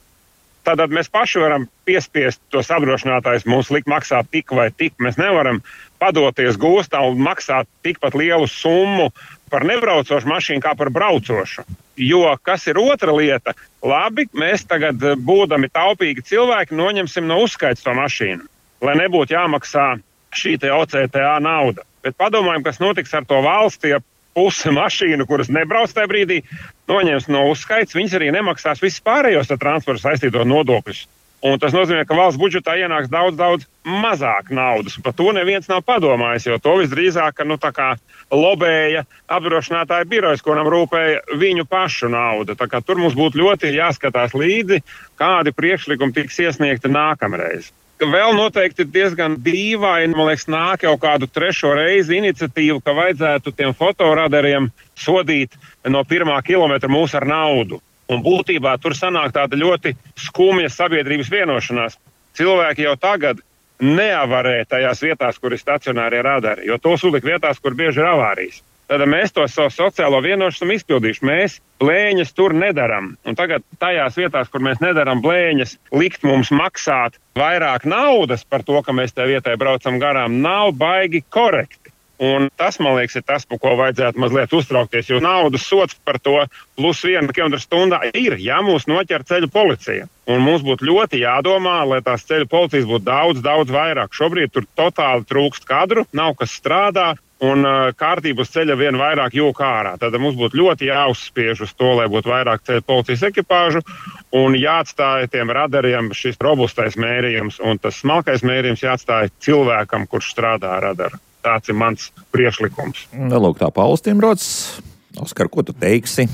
Tātad mēs paši varam piespiest tos apdrošinātājus mums likt maksāt tik vai tik. Mēs nevaram padoties gūstā un maksāt tikpat lielu summu par nebraucošu mašīnu kā par braucošu. Jo, kas ir otra lieta, labi, mēs tagad, būdami taupīgi cilvēki, noņemsim no uzskaits to mašīnu, lai nebūtu jāmaksā šī te O C T A nauda. Bet padomājam, kas notiks ar to valsti, ja puse mašīnu, kuras nebrauc tajā brīdī, noņems no uzskaits, viņas arī nemaksās visus pārējos ar transportu saistītos nodokļus. Un tas nozīmē, ka valsts budžetā ienāks daudz, daudz mazāk naudas. Par to neviens nav padomājis, jo to visdrīzāk, nu, tā kā lobēja apdrošinātāja birojas, kuram rūpēja viņu pašu nauda. Tā kā tur mums būtu ļoti jāskatās līdzi, kādi priekšlikumi tiks iesniegti nākamreiz. Vēl noteikti diezgan dīvaini, man liekas, nāk jau kādu trešo reizi iniciatīvu, ka vajadzētu tiem fotoradariem sodīt no pirmā kilometra mūs ar naudu. Un būtībā tur sanāk tāda ļoti skumja sabiedrības vienošanās. Cilvēki jau tagad neavarē tajās vietās, kur ir stacionārie radari, jo tos uzliek vietās, kur bieži ir avārijas. Tad mēs to savu sociālo vienošanos izpildīšu. Mēs blēņas tur nedaram. Un tagad tajās vietās, kur mēs nedaram blēņas, likt mums maksāt vairāk naudas par to, ka mēs tajā vietai braucam garām, nav baigi korekti. Un tas, man liekas, ir tas, par ko vajadzētu mazliet uztraukties, jo naudas sots par to plus viena kilometra stundā ir, ja mūs noķer ceļu policija. Un mums būtu ļoti jādomā, lai tās ceļu policijas būtu daudz, daudz vairāk. Šobrīd tur totāli trūkst kadru, nav kas strādā, un uh, kārtību uz ceļa vien vairāk jūk ārā. Tad mums būtu ļoti jāuzspiež uz to, lai būtu vairāk ceļu policijas ekipāžu, un jāatstāja tiem radariem šis robustais mērījums, un tas smalkais mērījums jāatstāja cilvēkam, kurš strādā ar radaru. Tāds ir mans priekšlikums. Lūk, tā Pauls Timrods. Oskar, ko tu teiksi?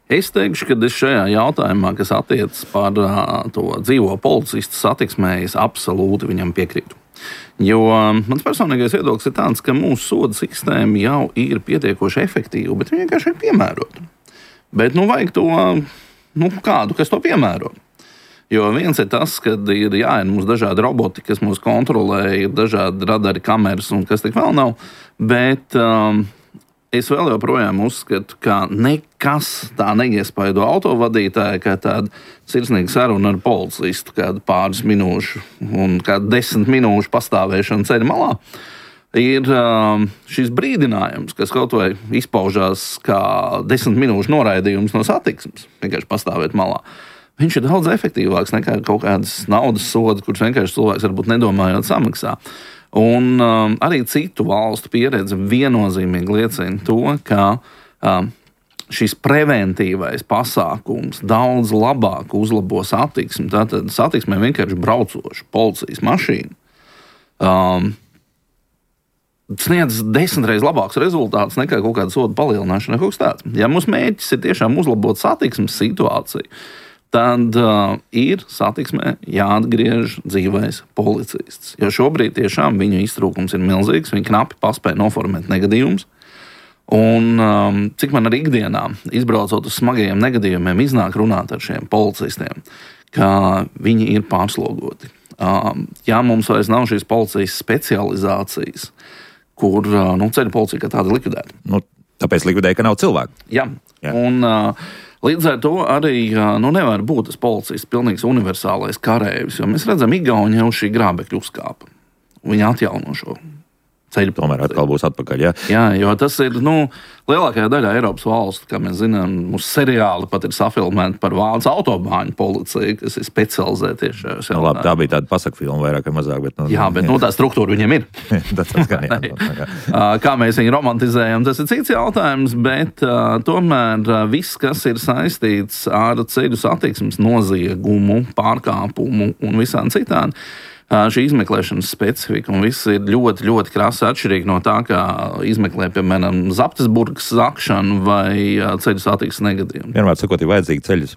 Es teikšu, ka es šajā jautājumā, kas attiecas par uh, to dzīvo policistu satiksmē, es absolūti viņam piekrītu. Jo um, mans personīgais viedoklis ir tāds, ka mūsu soda sistēma jau ir pietiekoši efektīva, bet viņa vienkārši ir piemērota. Bet nu vajag to, nu kādu, kas to piemēro. Jo viens ir tas, ka ir jāiet mums dažādi roboti, kas mūs kontrolē, ir dažādi radari, kameras un kas tik vēl nav. Bet um, es vēl joprojām uzskatu, ka nekas tā neiespaido autovadītāju, kā tāda sirsnīga saruna ar policistu, kādu pāris minūšu un kādu desmit minūšu pastāvēšanu ceļa malā. Ir um, šis brīdinājums, kas kaut vai izpaužās kā desmit minūšu noraidījums no satiksmes, vienkārši pastāvēt malā. Viņš ir daudz efektīvāks nekā kaut kādas naudas soda, kurš vienkārši cilvēks varbūt nedomājot samaksā. Un um, arī citu valstu pieredze viennozīmīgi liecina to, ka um, šis preventīvais pasākums daudz labāk uzlabo satiksmi. Tātad satiksmē vienkārši braucošu policijas mašīnu um, sniedz desmit reizes labāks rezultāts nekā kaut kāda soda palielināšana, kaut kas tāds. Ja mūsu mērķis ir tiešām uzlabot satiksmes situāciju, tad uh, ir satiksmē jāatgriež dzīvais policists. Jo šobrīd tiešām viņu iztrūkums ir milzīgs, viņi knapi paspēja noformēt negadījumus. Un um, cik man arī ikdienā, izbraucot uz smagajiem negadījumiem, iznāk runāt ar šiem policistiem, ka viņi ir pārslogoti. Um, ja mums vairs nav šīs policijas specializācijas, kur uh, nu, ceļu policija kā tāda likvidēta. Nu, tāpēc likvidēja, ka nav cilvēku. Jā, Jā. un... Uh, Līdz ar to arī nu, nevar būt tas policists pilnīgs universālais karējs, jo mēs redzam, Igauni jau šī grābekļa uzkāpa. Viņi atjauno šo ceļu. Tomēr atkal būs atpakaļ, jā? Jā, jo tas ir, nu, lielākajā daļā Eiropas valstu, kā mēs zinām, mūsu seriāli pat ir safilmēti par Vācu autobāņu policiju, kas ir specializēta tieši šajās jautājumās. Nu, labi, tā bija tāda pasaka filma vairāk vai mazāk, bet... Nu, jā, bet nu, tā struktūra viņiem ir. tas gan, jā, jā. Kā mēs viņu romantizējam, tas ir cits jautājums, bet uh, tomēr uh, viss, kas ir saistīts ar ceļu satiksmes noziegumu, pārkāpumu un visām citādi, šī izmeklēšanas specifika un viss ir ļoti, ļoti krasi atšķirīgi no tā, kā izmeklē, piemēram, Zaptesburgas zakšanu vai ceļu satiksmes negadījumu. Vienmēr sakot, ir vajadzīgi ceļu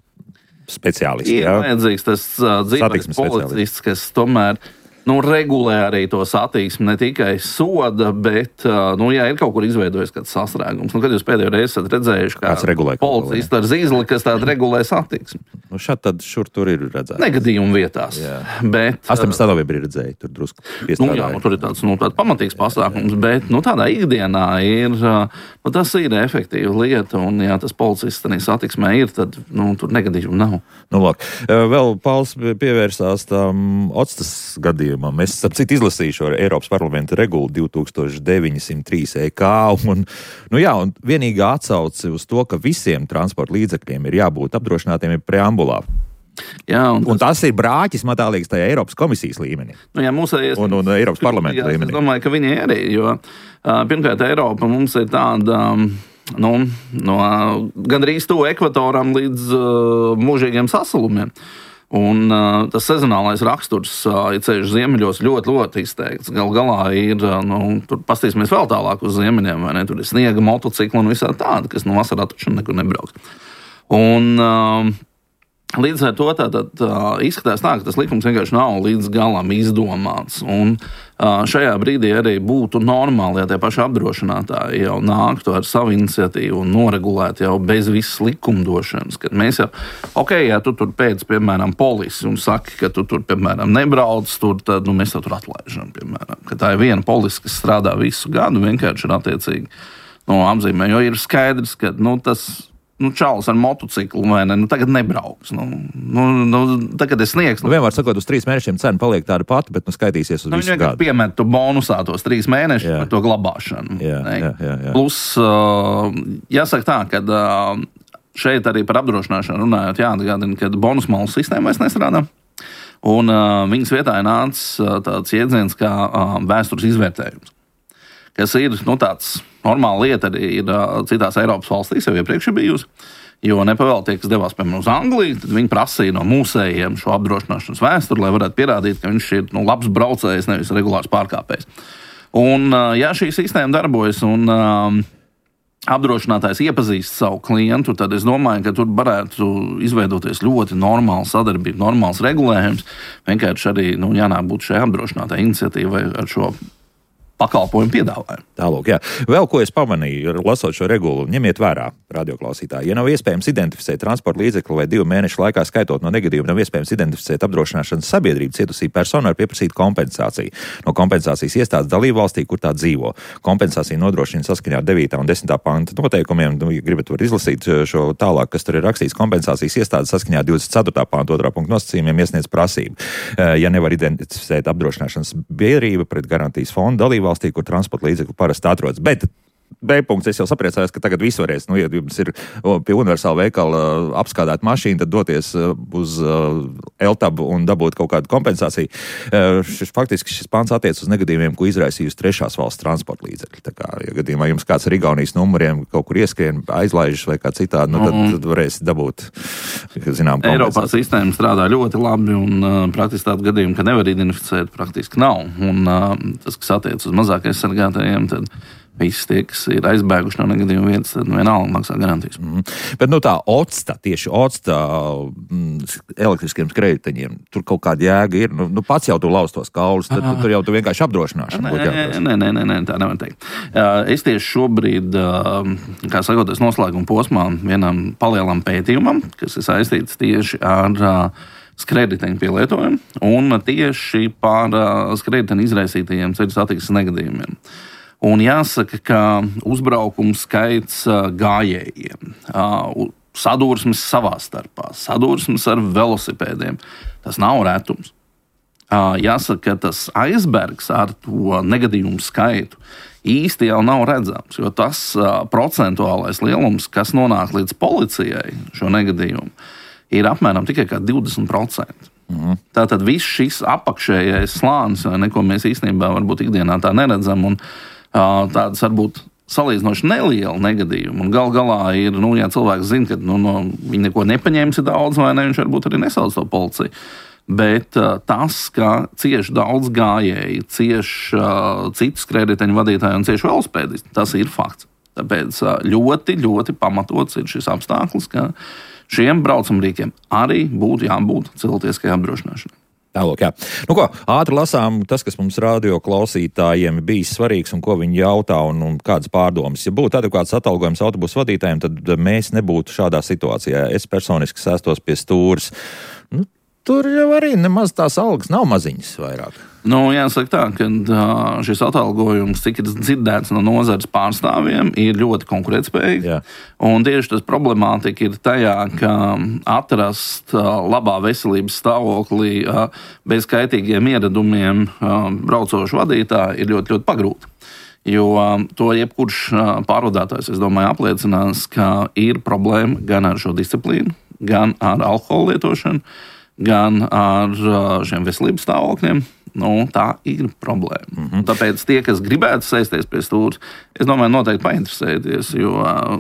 speciālisti. Ir jā? vajadzīgs tas uh, dzīves policists, kas tomēr nu, regulē arī to satiksmi, ne tikai soda, bet, uh, nu, ja ir kaut kur izveidojis kāds sastrēgums, nu, kad jūs pēdējo reizi esat redzējuši, kā policists ar zīzli, kas tāda regulē satiksmi. Nu, šad tad šur tur ir redzēts. Negadījumu vietās. Bet, astoņpadsmitā novembrī redzēju, tur drusku piestādāju. Nu, jā, nu, tur ir tāds, nu, tāds pamatīgs pasākums, bet, nu, tādā ikdienā ir, nu, tas ir efektīva lieta, un, ja tas policists arī satiksmē ir, tad, nu, tur negadījumu nav. Nu, lāk, vēl Pauls pievērsās tam Otstas gadījumam. Es, ap citu, izlasīšu ar Eiropas parlamenta regulu divi tūkstoši deviņsimt trīs E K, un, nu jā, un vienīgā atsauce uz to, ka visiem transporta līdzekļiem ir jābūt apdrošinātiem ir preambulā. Jā, un, tas... un tas ir brāķis, man tā liekas, tajā Eiropas komisijas līmenī. Nu, jā, mūsējies... un, un Eiropas parlamenta jā, līmenī. Es domāju, ka viņi arī, jo pirmkārt Eiropa mums ir tāda... Nu, no gandrīz to ekvatoram līdz uh, mūžīgiem sasalumiem. Un uh, tas sezonālais raksturs, uh, ja ceļš ziemeļos, ļoti, ļoti izteikts. Galu galā ir, uh, nu, tur pastīsimies vēl tālāk uz ziemeļiem, vai ne? Tur ir sniega motocikli un visā tāda, kas no vasarā taču nekur nebrauks. Un uh, līdz ar to tātad uh, izskatās tā, ka tas likums vienkārši nav līdz galam izdomāts. Un uh, šajā brīdī arī būtu normāli, ja tie paši apdrošinātāji jau nāktu ar savu iniciatīvu un noregulētu jau bez visas likumdošanas. Kad mēs jau, ok, ja tu tur pēc, piemēram, polisi un saki, ka tu tur, piemēram, nebrauc, tur, tad nu, mēs tev tur atlaižam, piemēram. Ka tā ir viena polisi, kas strādā visu gadu, vienkārši ir attiecīgi no apzīmē, jo ir skaidrs, ka nu, tas nu, čalis ar motociklu, vai ne, nu, tagad nebrauks. Nu, nu, nu, tagad es sniegšu. Nu, vienmēr sakot, uz trīs mēnešiem cena paliek tāda pati, bet nu skaitīsies uz nu, visu gadu. Piemet tu bonusā tos trīs mēnešus par to glabāšanu. Jā, jā, jā, jā. Plus, uh, jāsaka tā, ka uh, šeit arī par apdrošināšanu runājot, jāatgādina, ka bonusmalu sistēma vairs nestrādā. Un uh, viņas vietā ir nācis uh, tāds jēdziens kā uh, vēstures izvērtējums, kas ir nu, tāds normāla lieta arī ir uh, citās Eiropas valstīs, jau iepriekš ir bijusi. Jo nepavēl tie, kas devās piemēram uz Angliju, tad viņi prasīja no mūsējiem šo apdrošināšanas vēsturi, lai varētu pierādīt, ka viņš ir nu, labs braucējs, nevis regulārs pārkāpējs. Un, uh, ja šī sistēma darbojas un uh, apdrošinātājs iepazīst savu klientu, tad es domāju, ka tur varētu izveidoties ļoti normāla sadarbība, normāls regulējums. Vienkārši arī nu, jānāk būt šai apdrošinātāja iniciatīvai ar šo pakalpojumu piedāvājumu. Tālūk, jā. Vēl ko es pamanīju, lasot šo regulu, ņemiet vērā, radioklausītāji. Ja nav iespējams identificēt transporta līdzekli vai divu mēnešu laikā skaitot no negadījuma, nav iespējams identificēt apdrošināšanas sabiedrību, cietusī persona var pieprasīt kompensāciju no kompensācijas iestādes dalību valstī, kur tā dzīvo. Kompensācija nodrošina saskaņā ar devītā un desmitā panta noteikumiem. Nu, ja gribat, var izlasīt šo tālāk, kas tur ir rakstīts. Kompensācijas iestādes saskaņā ar divdesmit ceturtā panta otrā punkta nosacījumiem iesniedz prasību. Ja nevar identificēt apdrošināšanas biedrību pret garantijas fondu dalību valstī, kur transporta līdzekļu parasti atrodas. Bet B punkts, es jau sapriecājos, ka tagad viss varēs, nu, ja jums ir pie universāla veikala apskādāt mašīnu, tad doties uz Eltabu un dabūt kaut kādu kompensāciju. Šis, faktiski šis pants attiec uz negadījumiem, ko izraisījusi trešās valsts transporta līdzekļi. Tā kā, ja gadījumā jums kāds ar Igaunijas numuriem kaut kur ieskrien, aizlaižas vai kā citādi, nu, tad, tad varēs dabūt, zinām, kompensāciju. Eiropā sistēma strādā ļoti labi un uh, praktiski tādu gadījumu, ka nevar identificēt, praktiski nav. Un uh, tas, kas attiec uz mazāk aizsargātajiem, tad visi tie, kas ir aizbēguši no negadījuma vietas, tad vienalga maksā garantijas. Mm. Bet nu tā OCTA, tieši OCTA mm, elektriskiem skrējējiņiem, tur kaut kāda jēga ir. Nu, nu pats jau tu lauz tos kaulus, tad tu, tur jau tu vienkārši apdrošināšana. Nē, nē, nē, nē, nē, tā nevar teikt. Es tieši šobrīd, kā sakot, es noslēguma posmā vienam palielam pētījumam, kas ir saistīts tieši ar skrējēju pielietojumu un tieši par skrējēju izraisītajiem ceļu satiksmes negadījumiem. Un jāsaka, ka uzbraukums skaits gājējiem, sadursmes savā starpā, sadursmes ar velosipēdiem, tas nav retums. Jāsaka, ka tas aizbergs ar to negadījumu skaitu īsti jau nav redzams, jo tas procentuālais lielums, kas nonāk līdz policijai šo negadījumu, ir apmēram tikai kā divdesmit procenti. Mm. Tātad viss šis apakšējais slānis, neko mēs īstenībā varbūt ikdienā tā neredzam, un tādas varbūt salīdzinoši neliela negadījuma. Un gal galā ir, nu, ja cilvēks zina, ka nu, no, viņi neko nepaņēmis daudz, vai ne, viņš varbūt arī nesauc to policiju. Bet uh, tas, ka cieši daudz gājēji, cieši uh, citu skrējēju vadītāju un cieši velosipēdisti, tas ir fakts. Tāpēc uh, ļoti, ļoti pamatots ir šis apstākļus, ka šiem braucamrīkiem arī būtu jābūt cilvēciskajai apdrošināšanai. Tālāk, jā. Nu ko, ātri lasām tas, kas mums radio klausītājiem bijis svarīgs un ko viņi jautā un, un kādas pārdomas. Ja būtu adekvāts atalgojums autobusu vadītājiem, tad mēs nebūtu šādā situācijā. Es personiski sēstos pie stūres. Nu, tur jau arī nemaz tās algas nav maziņas vairāk. Nu, jāsaka tā, ka šis atalgojums, cik ir dzirdēts no nozares pārstāvjiem, ir ļoti konkurētspējīgs. Jā. Un tieši tas problemātika ir tajā, ka atrast labā veselības stāvoklī bez kaitīgiem ieradumiem braucošu vadītāju ir ļoti, ļoti pagrūti. Jo to jebkurš pārvadātājs, es domāju, apliecinās, ka ir problēma gan ar šo disciplīnu, gan ar alkohola lietošanu, gan ar šiem veselības stāvokļiem. Nu, tā ir problēma. Mm-hmm. Tāpēc tie, kas gribētu sēsties pie stūres, es domāju, noteikti painteresēties, jo uh,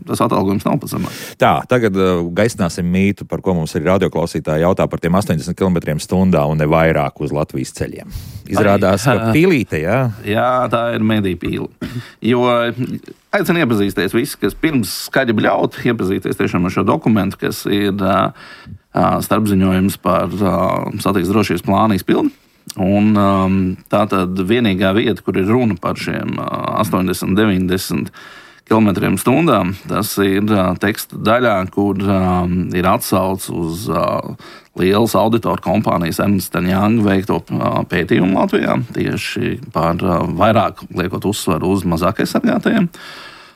tas atalgojums nav pats zemāks. Tā, tagad uh, gaisināsim mītu, par ko mums ir radioklausītāji jautā par tiem astoņdesmit kilometriem stundā un ne vairāk uz Latvijas ceļiem. Izrādās, Ai, ka pīlīte, jā? Jā, tā ir mediju pīle. Jo aicinu iepazīsties visi, kas pirms skaļi bļaut, iepazīties tiešām ar šo dokumentu, kas ir uh, starpziņojums par uh, satiksmes drošības plānu izpildi. Un, um, tā tad vienīgā vieta, kur ir runa par šiem uh, astoņdesmit, deviņdesmit kilometriem stundām, tas ir uh, teksta daļā, kur um, ir atsauce uz uh, lielas auditoru kompānijas Ernst and Young veikto uh, pētījumu Latvijā, tieši par uh, vairāk liekot uzsvaru uz mazāk aizsargātajiem.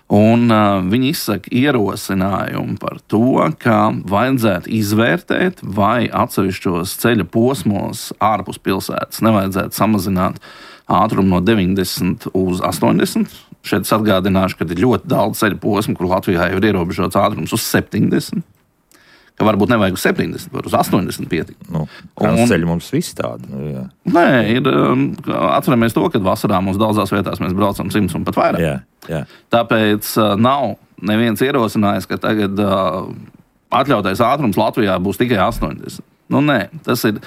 Un uh, viņi izsaka ierosinājumu par to, ka vajadzētu izvērtēt, vai atsevišķos ceļa posmos ārpus pilsētas nevajadzētu samazināt ātrumu no deviņdesmit uz astoņdesmit. Šeit es atgādināšu, ka ir ļoti daudz ceļa posmu, kur Latvijā jau ir ierobežots ātrums uz septiņdesmit. Ka varbūt nevajag uz septiņdesmit, var uz astoņdesmit pietiek. Nu, kāds ceļi mums viss tādi? Nu, jā. Nē, ir, atceramies to, ka vasarā mums daudzās vietās mēs braucam simts un pat vairāk. Jā, jā. Tāpēc uh, nav neviens ierosinājis, ka tagad uh, atļautais ātrums Latvijā būs tikai astoņdesmit. Nu, nē, tas ir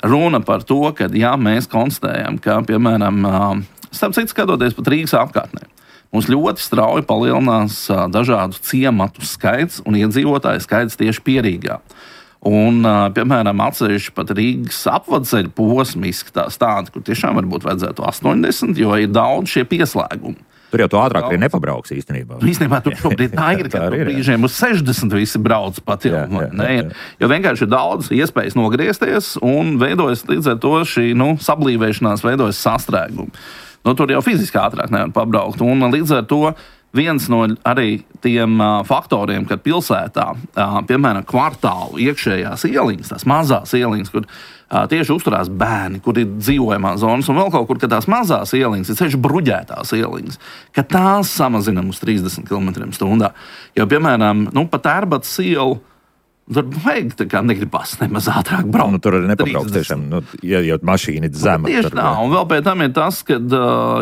runa par to, ka jā, mēs konstatējam, ka, piemēram, uh, starp citu skatoties pat Rīgas apkārtnē, mums ļoti strauji palielinās uh, dažādu ciematu skaits un iedzīvotāju skaits tieši pie Rīgā. Un, uh, piemēram, atsevišķi pat Rīgas apvadceļu posmi izskatās tādi, kur tiešām varbūt vajadzētu astoņdesmit, jo ir daudz šie pieslēgumi. Tur jau tu ātrāk arī nepabrauks īstenībā. Īstenībā tur šobrīd tā ir, ka tur brīžiem uz sešdesmit visi brauc pat jau. Jā, jā, jā, jā. Jo vienkārši ir daudz iespējas nogriezties un veidojas līdz ar to šī nu, sablīvēšanās, veidojas sastrēgumi. Nu, tur jau fiziski ātrāk nevar pabraukt. Un līdz ar to viens no arī tiem uh, faktoriem, kad pilsētā, uh, piemēram, kvartālu iekšējās ieliņas, tās mazās ieliņas, kur uh, tieši uzturās bērni, kur ir dzīvojamās zonas, un vēl kaut kur, ka tās mazās ieliņas, ir ceļš bruģētās ieliņas, ka tās samazinām uz trīsdesmit kilometriem stundā. Jo, piemēram, nu, pa Tērbatas ielu, tur vajag tā kā negribas nemaz ātrāk braukt. Nu, tur arī nepabrauks tiešām, nu, ja, ja mašīna ir zema. Tieši tā, un vēl pēc tam ir tas, ka,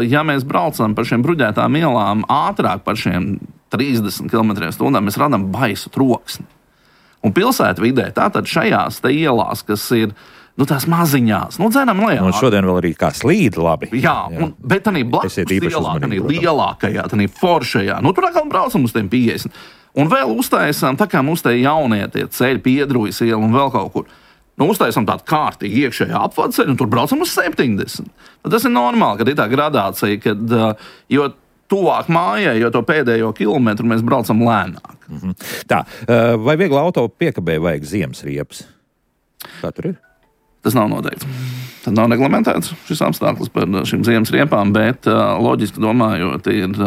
ja mēs braucam par šiem bruģētām ielām ātrāk par šiem trīsdesmit kilometriem stundā, mēs radām baisu troksni. Un pilsētvidē tātad šajās te ielās, kas ir, nu, tās maziņās, nu, dzenam lejā. Un šodien vēl arī kā slīd labi. Jā, un, bet tā blakus ielā, tā lielākajā, tā foršajā, nu, tur atkal braucam uz tiem piecdesmit. Un vēl uztaisām, tā kā mums te jaunie tie ceļi, Piedrujas iela un vēl kaut kur. Nu, uztaisām tādu kārtīgi iekšējā apvadceļu un tur braucam uz septiņdesmit. Tas ir normāli, kad ir tā gradācija, kad jo tuvāk mājai, jo to pēdējo kilometru mēs braucam lēnāk. Mm-hmm. Tā, vai viegla auto piekabē vajag ziemas riepas? Kā tur ir? Tas nav noteikts. Tad nav reglamentēts šis apstākļus par šīm ziemas riepām, bet loģiski domājot ir...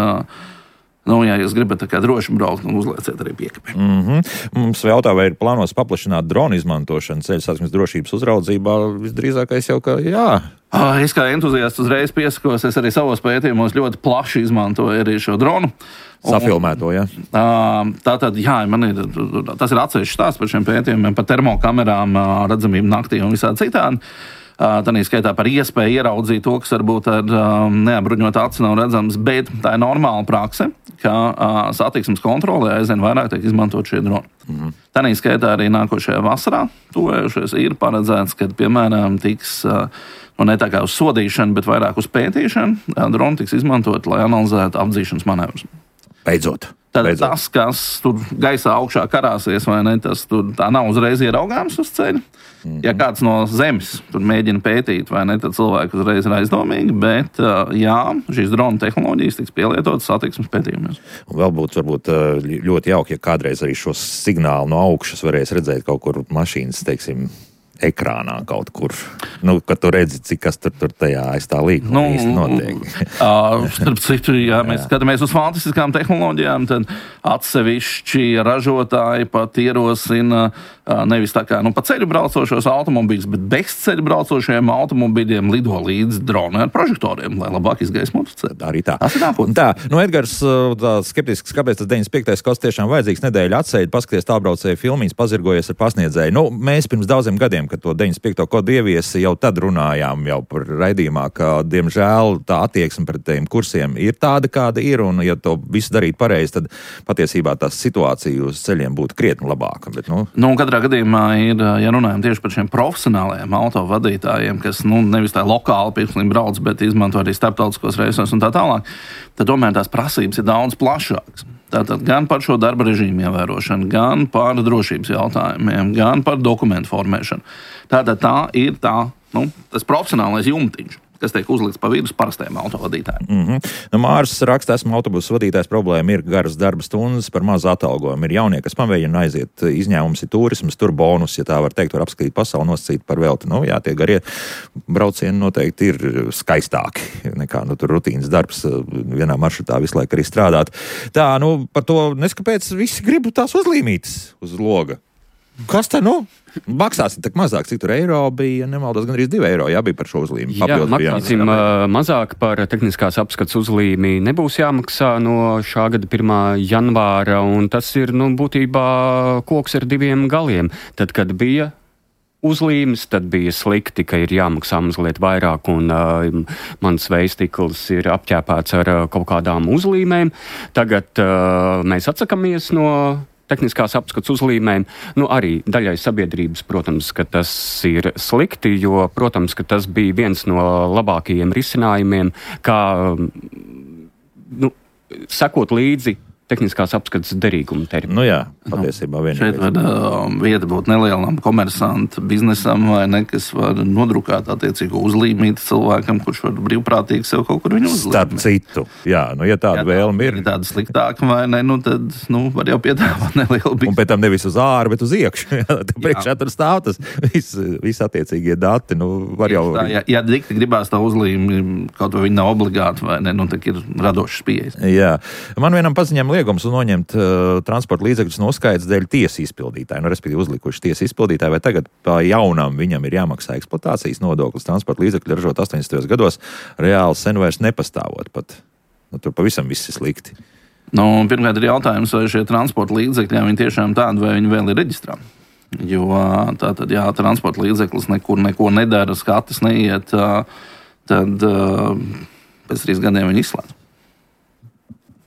Nu, ja jūs gribat tā kā droši braukt, nu uzlieciet arī piekabē. Mm-hmm. Mums jautā, vai ir plānos paplašināt dronu izmantošanu ceļu satiksmes drošības uzraudzībā? Visdrīzākais jau, ka jā. Es kā entuziasts uzreiz piesakos, es arī savos pētījumos ļoti plaši izmantoju arī šo dronu. Safilmēto, jā? Tātad, jā, man ir, tas ir atsevišķs stāsts par šiem pētījumiem, par termokamerām, redzamību naktī un visādi citādi. Tanī skaitā par iespēju ieraudzīt to, kas varbūt ar um, neapbruņotu aci nav redzams, bet tā ir normāla prakse, ka uh, satiksmes kontrolē aizvien vairāk tiek izmantot šie droni. Mm-hmm. Tanī skaitā arī nākošajā vasarā tuvējušies ir paredzēts, ka, piemēram, tiks uh, nu, ne tā kā uz sodīšanu, bet vairāk uz pētīšanu, uh, droni tiks izmantot, lai analizētu apdzīšanas manevrus. Beidzot. Tad Beidzot. Tas, kas tur gaisā augšā karāsies, vai ne, tas tur tā nav uzreiz ieraugāms uz ceļa. Mm-hmm. Ja kāds no zemes tur mēģina pētīt, vai ne, tad cilvēki uzreiz ir aizdomīgi, bet jā, šīs drona tehnoloģijas tiks pielietotas satiksmes pētījumos. Un vēl būtu varbūt ļoti jauki, ja kādreiz arī šo signālu no augšas varēs redzēt kaut kur mašīnas, teiksim, ekrānā kaut kur. Nu, kad tu redzi, cik kas tur, tur tajā aiz tā līkuma nu, īsti notiek. uh, starp citu, ja mēs jā. skatāmies uz fantastiskām tehnoloģijām, tad atsevišķi ražotāji pat ierosina uh, nevis tā kā nu, pa ceļu braucošos automobīļus, bet bez ceļu braucošiem automobīļiem lido līdz droni ar prožektoriem, lai labāk izgaismotu ceļu. Arī tā. Tas ir nākotnē. Tā, nu Edgars tā skeptisks, kāpēc tas deviņdesmit piektais gads tiešām vajadzīgs nedēļa atseid, paskaties tālbraucēju filmīs, pazirgojies ar pasniedzēju. Nu, mēs pirms daudziem gadiem, kad to deviņdesmit piekto kodu ieviesi, jau tad runājām jau par raidījumā, ka, diemžēl, tā attieksme pret tiem kursiem ir tāda, kāda ir, un ja to visu darīt pareizi, tad patiesībā tā situācija uz ceļiem būtu krietni labāka. Bet, nu... Nu, katrā gadījumā ir, ja runājam tieši par šiem profesionālajiem autovadītājiem, kas, nu, nevis tā lokāli pirkslīgi brauc, bet izmanto arī starptautiskos reisos un tā tālāk, tad tomēr tās prasības ir daudz plašākas. Tātad gan par šo darba režīmu ievērošanu, gan par drošības jautājumiem, gan par dokumentu formēšanu. Tātad tā ir tā, nu, tas profesionālais jumtiņš. kas tiek uzlikts pa vidus parastajiem autovadītājiem. Mm-hmm. Nu, Māris raksta, esmu autobusu vadītājs, problēma ir garas darba stundas par mazu atalgojumu. Ir jaunie, kas pamēģina aiziet, izņēmums ir turismas, tur bonus, ja tā var teikt, var apskatīt pasauli, nosacīt par velti. Nu, jā, tie garie braucieni noteikti ir skaistāki nekā nu, tur rutīnas darbs vienā maršrutā visu laiku arī strādāt. Tā, nu, par to neskapēc visi gribu tās uzlīmītas uz loga. Kas te, nu? Maksāsim tak mazāk, cik tur eiro bija, nemaldos, gan arī divi eiro, jā, bija par šo uzlīmi. Jā, maksāsim mazāk par tehniskās apskats uzlīmi nebūs jāmaksā no šā gada pirmā janvāra, un tas ir, nu, būtībā koks ar diviem galiem. Tad, kad bija uzlīmes, tad bija slikti, ka ir jāmaksā mazliet vairāk, un uh, mans veistikls ir apķēpēts ar uh, kaut kādām uzlīmēm. Tagad uh, mēs atsakamies no tehniskās apskats uzlīmēm, nu arī daļai sabiedrības, protams, ka tas ir slikti, jo, protams, ka tas bija viens no labākajiem risinājumiem, kā, nu, sekot līdzi tehniskās apskates derīguma termiņu. Nu jā, patiesībā vienīgais. Šeit var uh, vieta būt nelielam komersantu biznesam, vai ne, kas var nodrukāt attiecīgo uzlīmīti cilvēkam, kurš var brīvprātīgi sev kaut kur viņu uzlīmīt. Starp citu, jā, nu ja tāda ja vēlme ir. Ja tāda sliktāka, vai ne, nu tad, nu, var jau piedāvāt nelielu biznesu. Un pēc tam nevis uz āru, bet uz iekšu. Priekšā tur stāv tas viss vis attiecīgie dati, nu, var jau. Tā, ja, ja dikti gribās tā uzlīmi, kaut vai viņi nav obligāti, vai ne, nu, tak ir radošas pieejas. Jā. Man vienam paziņām liegums un noņemt uh, transporta līdzekļus no uzskaitas dēļ tiesas izpildītāji, nu, respektīvi uzlikuši tiesas izpildītāji, vai tagad pa jaunam viņam ir jāmaksā eksploatācijas nodoklis transporta līdzekļu ražot astoņdesmitajos gados, reāli sen vairs nepastāvot pat. Nu, tur pavisam viss ir slikti. Nu, pirmkārt ir jautājums, vai šie transporta līdzekļi, viņi tiešām tādi, vai viņi vēl ir reģistrā. Jo tātad, jā, transporta līdzeklis nekur neko nedara, skatas neiet, tad pēc trīs gadiem viņi izslēdz.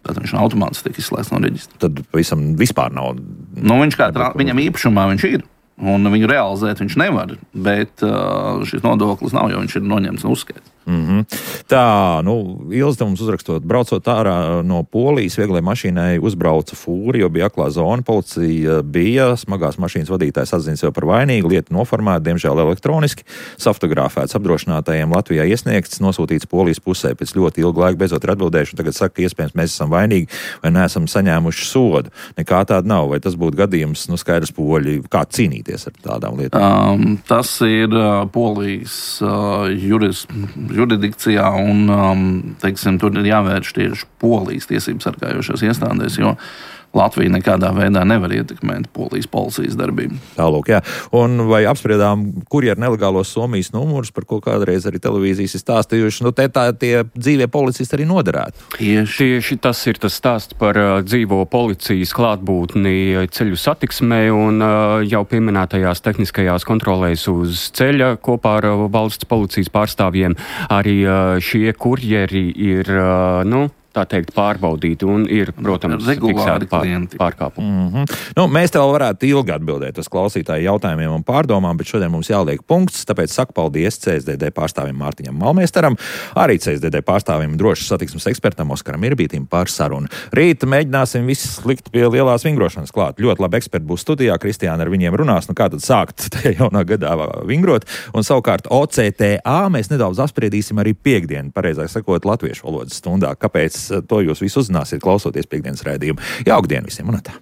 Tātad viņš automātiski tiek izslēgts no reģistra. Tad pavisam vispār nav. Nu, viņš kā tra... Viņam īpašumā viņš ir, un viņu realizēt viņš nevar, bet uh, šis nodoklis nav, jo viņš ir noņemts no uzskaitas. Mm-hmm. Tā, nu, Ilze mums uzrakstot, braucot ārā no Polijas, vieglai mašīnai uzbrauca fūri, jo bija aklā zona, policija bija, smagās mašīnas vadītājs atzina sev par vainīgu, lieta noformēta, diemžēl elektroniski, safotografēts apdrošinātājiem Latvijā iesniegts, nosūtīts Polijas pusē, pēc ļoti ilga laika beidzot ir atbildējuši, un tagad saka, ka iespējams mēs esam vainīgi vai neesam saņēmuši sodu. Nekā tāda nav, vai tas būtu gadījums, nu, skaidrs poļi, kā cīnīties ar tādām lietām? Um, tas ir uh, Polijas uh, juris, juridikcijā, un um, teiksim, tur ir jāvērš tieši Polijas tiesības sargājošās iestādēs, jo Latvija nekādā veidā nevar ietekmēt Polijas policijas darbību. Tālūk, jā. Un vai apspriedām kurjeru nelegālos Somijas numurus, par ko kādreiz arī televīzijas ir stāstījuši, nu te tā tie dzīvie policisti arī noderētu? Tieši. Tieši tas ir tas stāsts par uh, dzīvo policijas klātbūtni ceļu satiksmē un uh, jau pieminētajās tehniskajās kontrolēs uz ceļa kopā ar uh, valsts policijas pārstāvjiem. Arī uh, šie kurjeri ir, uh, nu, tā teikt, pārbaudīti un ir, protams, fiksēti pār, pārkāpumi. Mm-hmm. Nu, mēs tev varētu ilgi atbildēt uz klausītāju jautājumiem un pārdomām, bet šodien mums jāliek punkts, tāpēc saku paldies C S D D pārstāvim Mārtiņam Malmēstaram, arī C S D D pārstāvim drošas satiksmes ekspertam Oskaram Irbītim par sarunu. Rīt mēģināsim visus likt pie lielās vingrošanas klāt. Ļoti labi eksperti būs studijā, Kristiāna ar viņiem runās, nu kā tad sākt tajā jaunā gadā vingrot, un savukārt O C T A mēs nedaudz apspriedīsim arī piekdienu, pareizāk sakot, latviešu valodas stundā. Kāpēc? To jūs visu uzzināsiet, klausoties piekdienas raidījumu. Jauku dienu visiem un tā!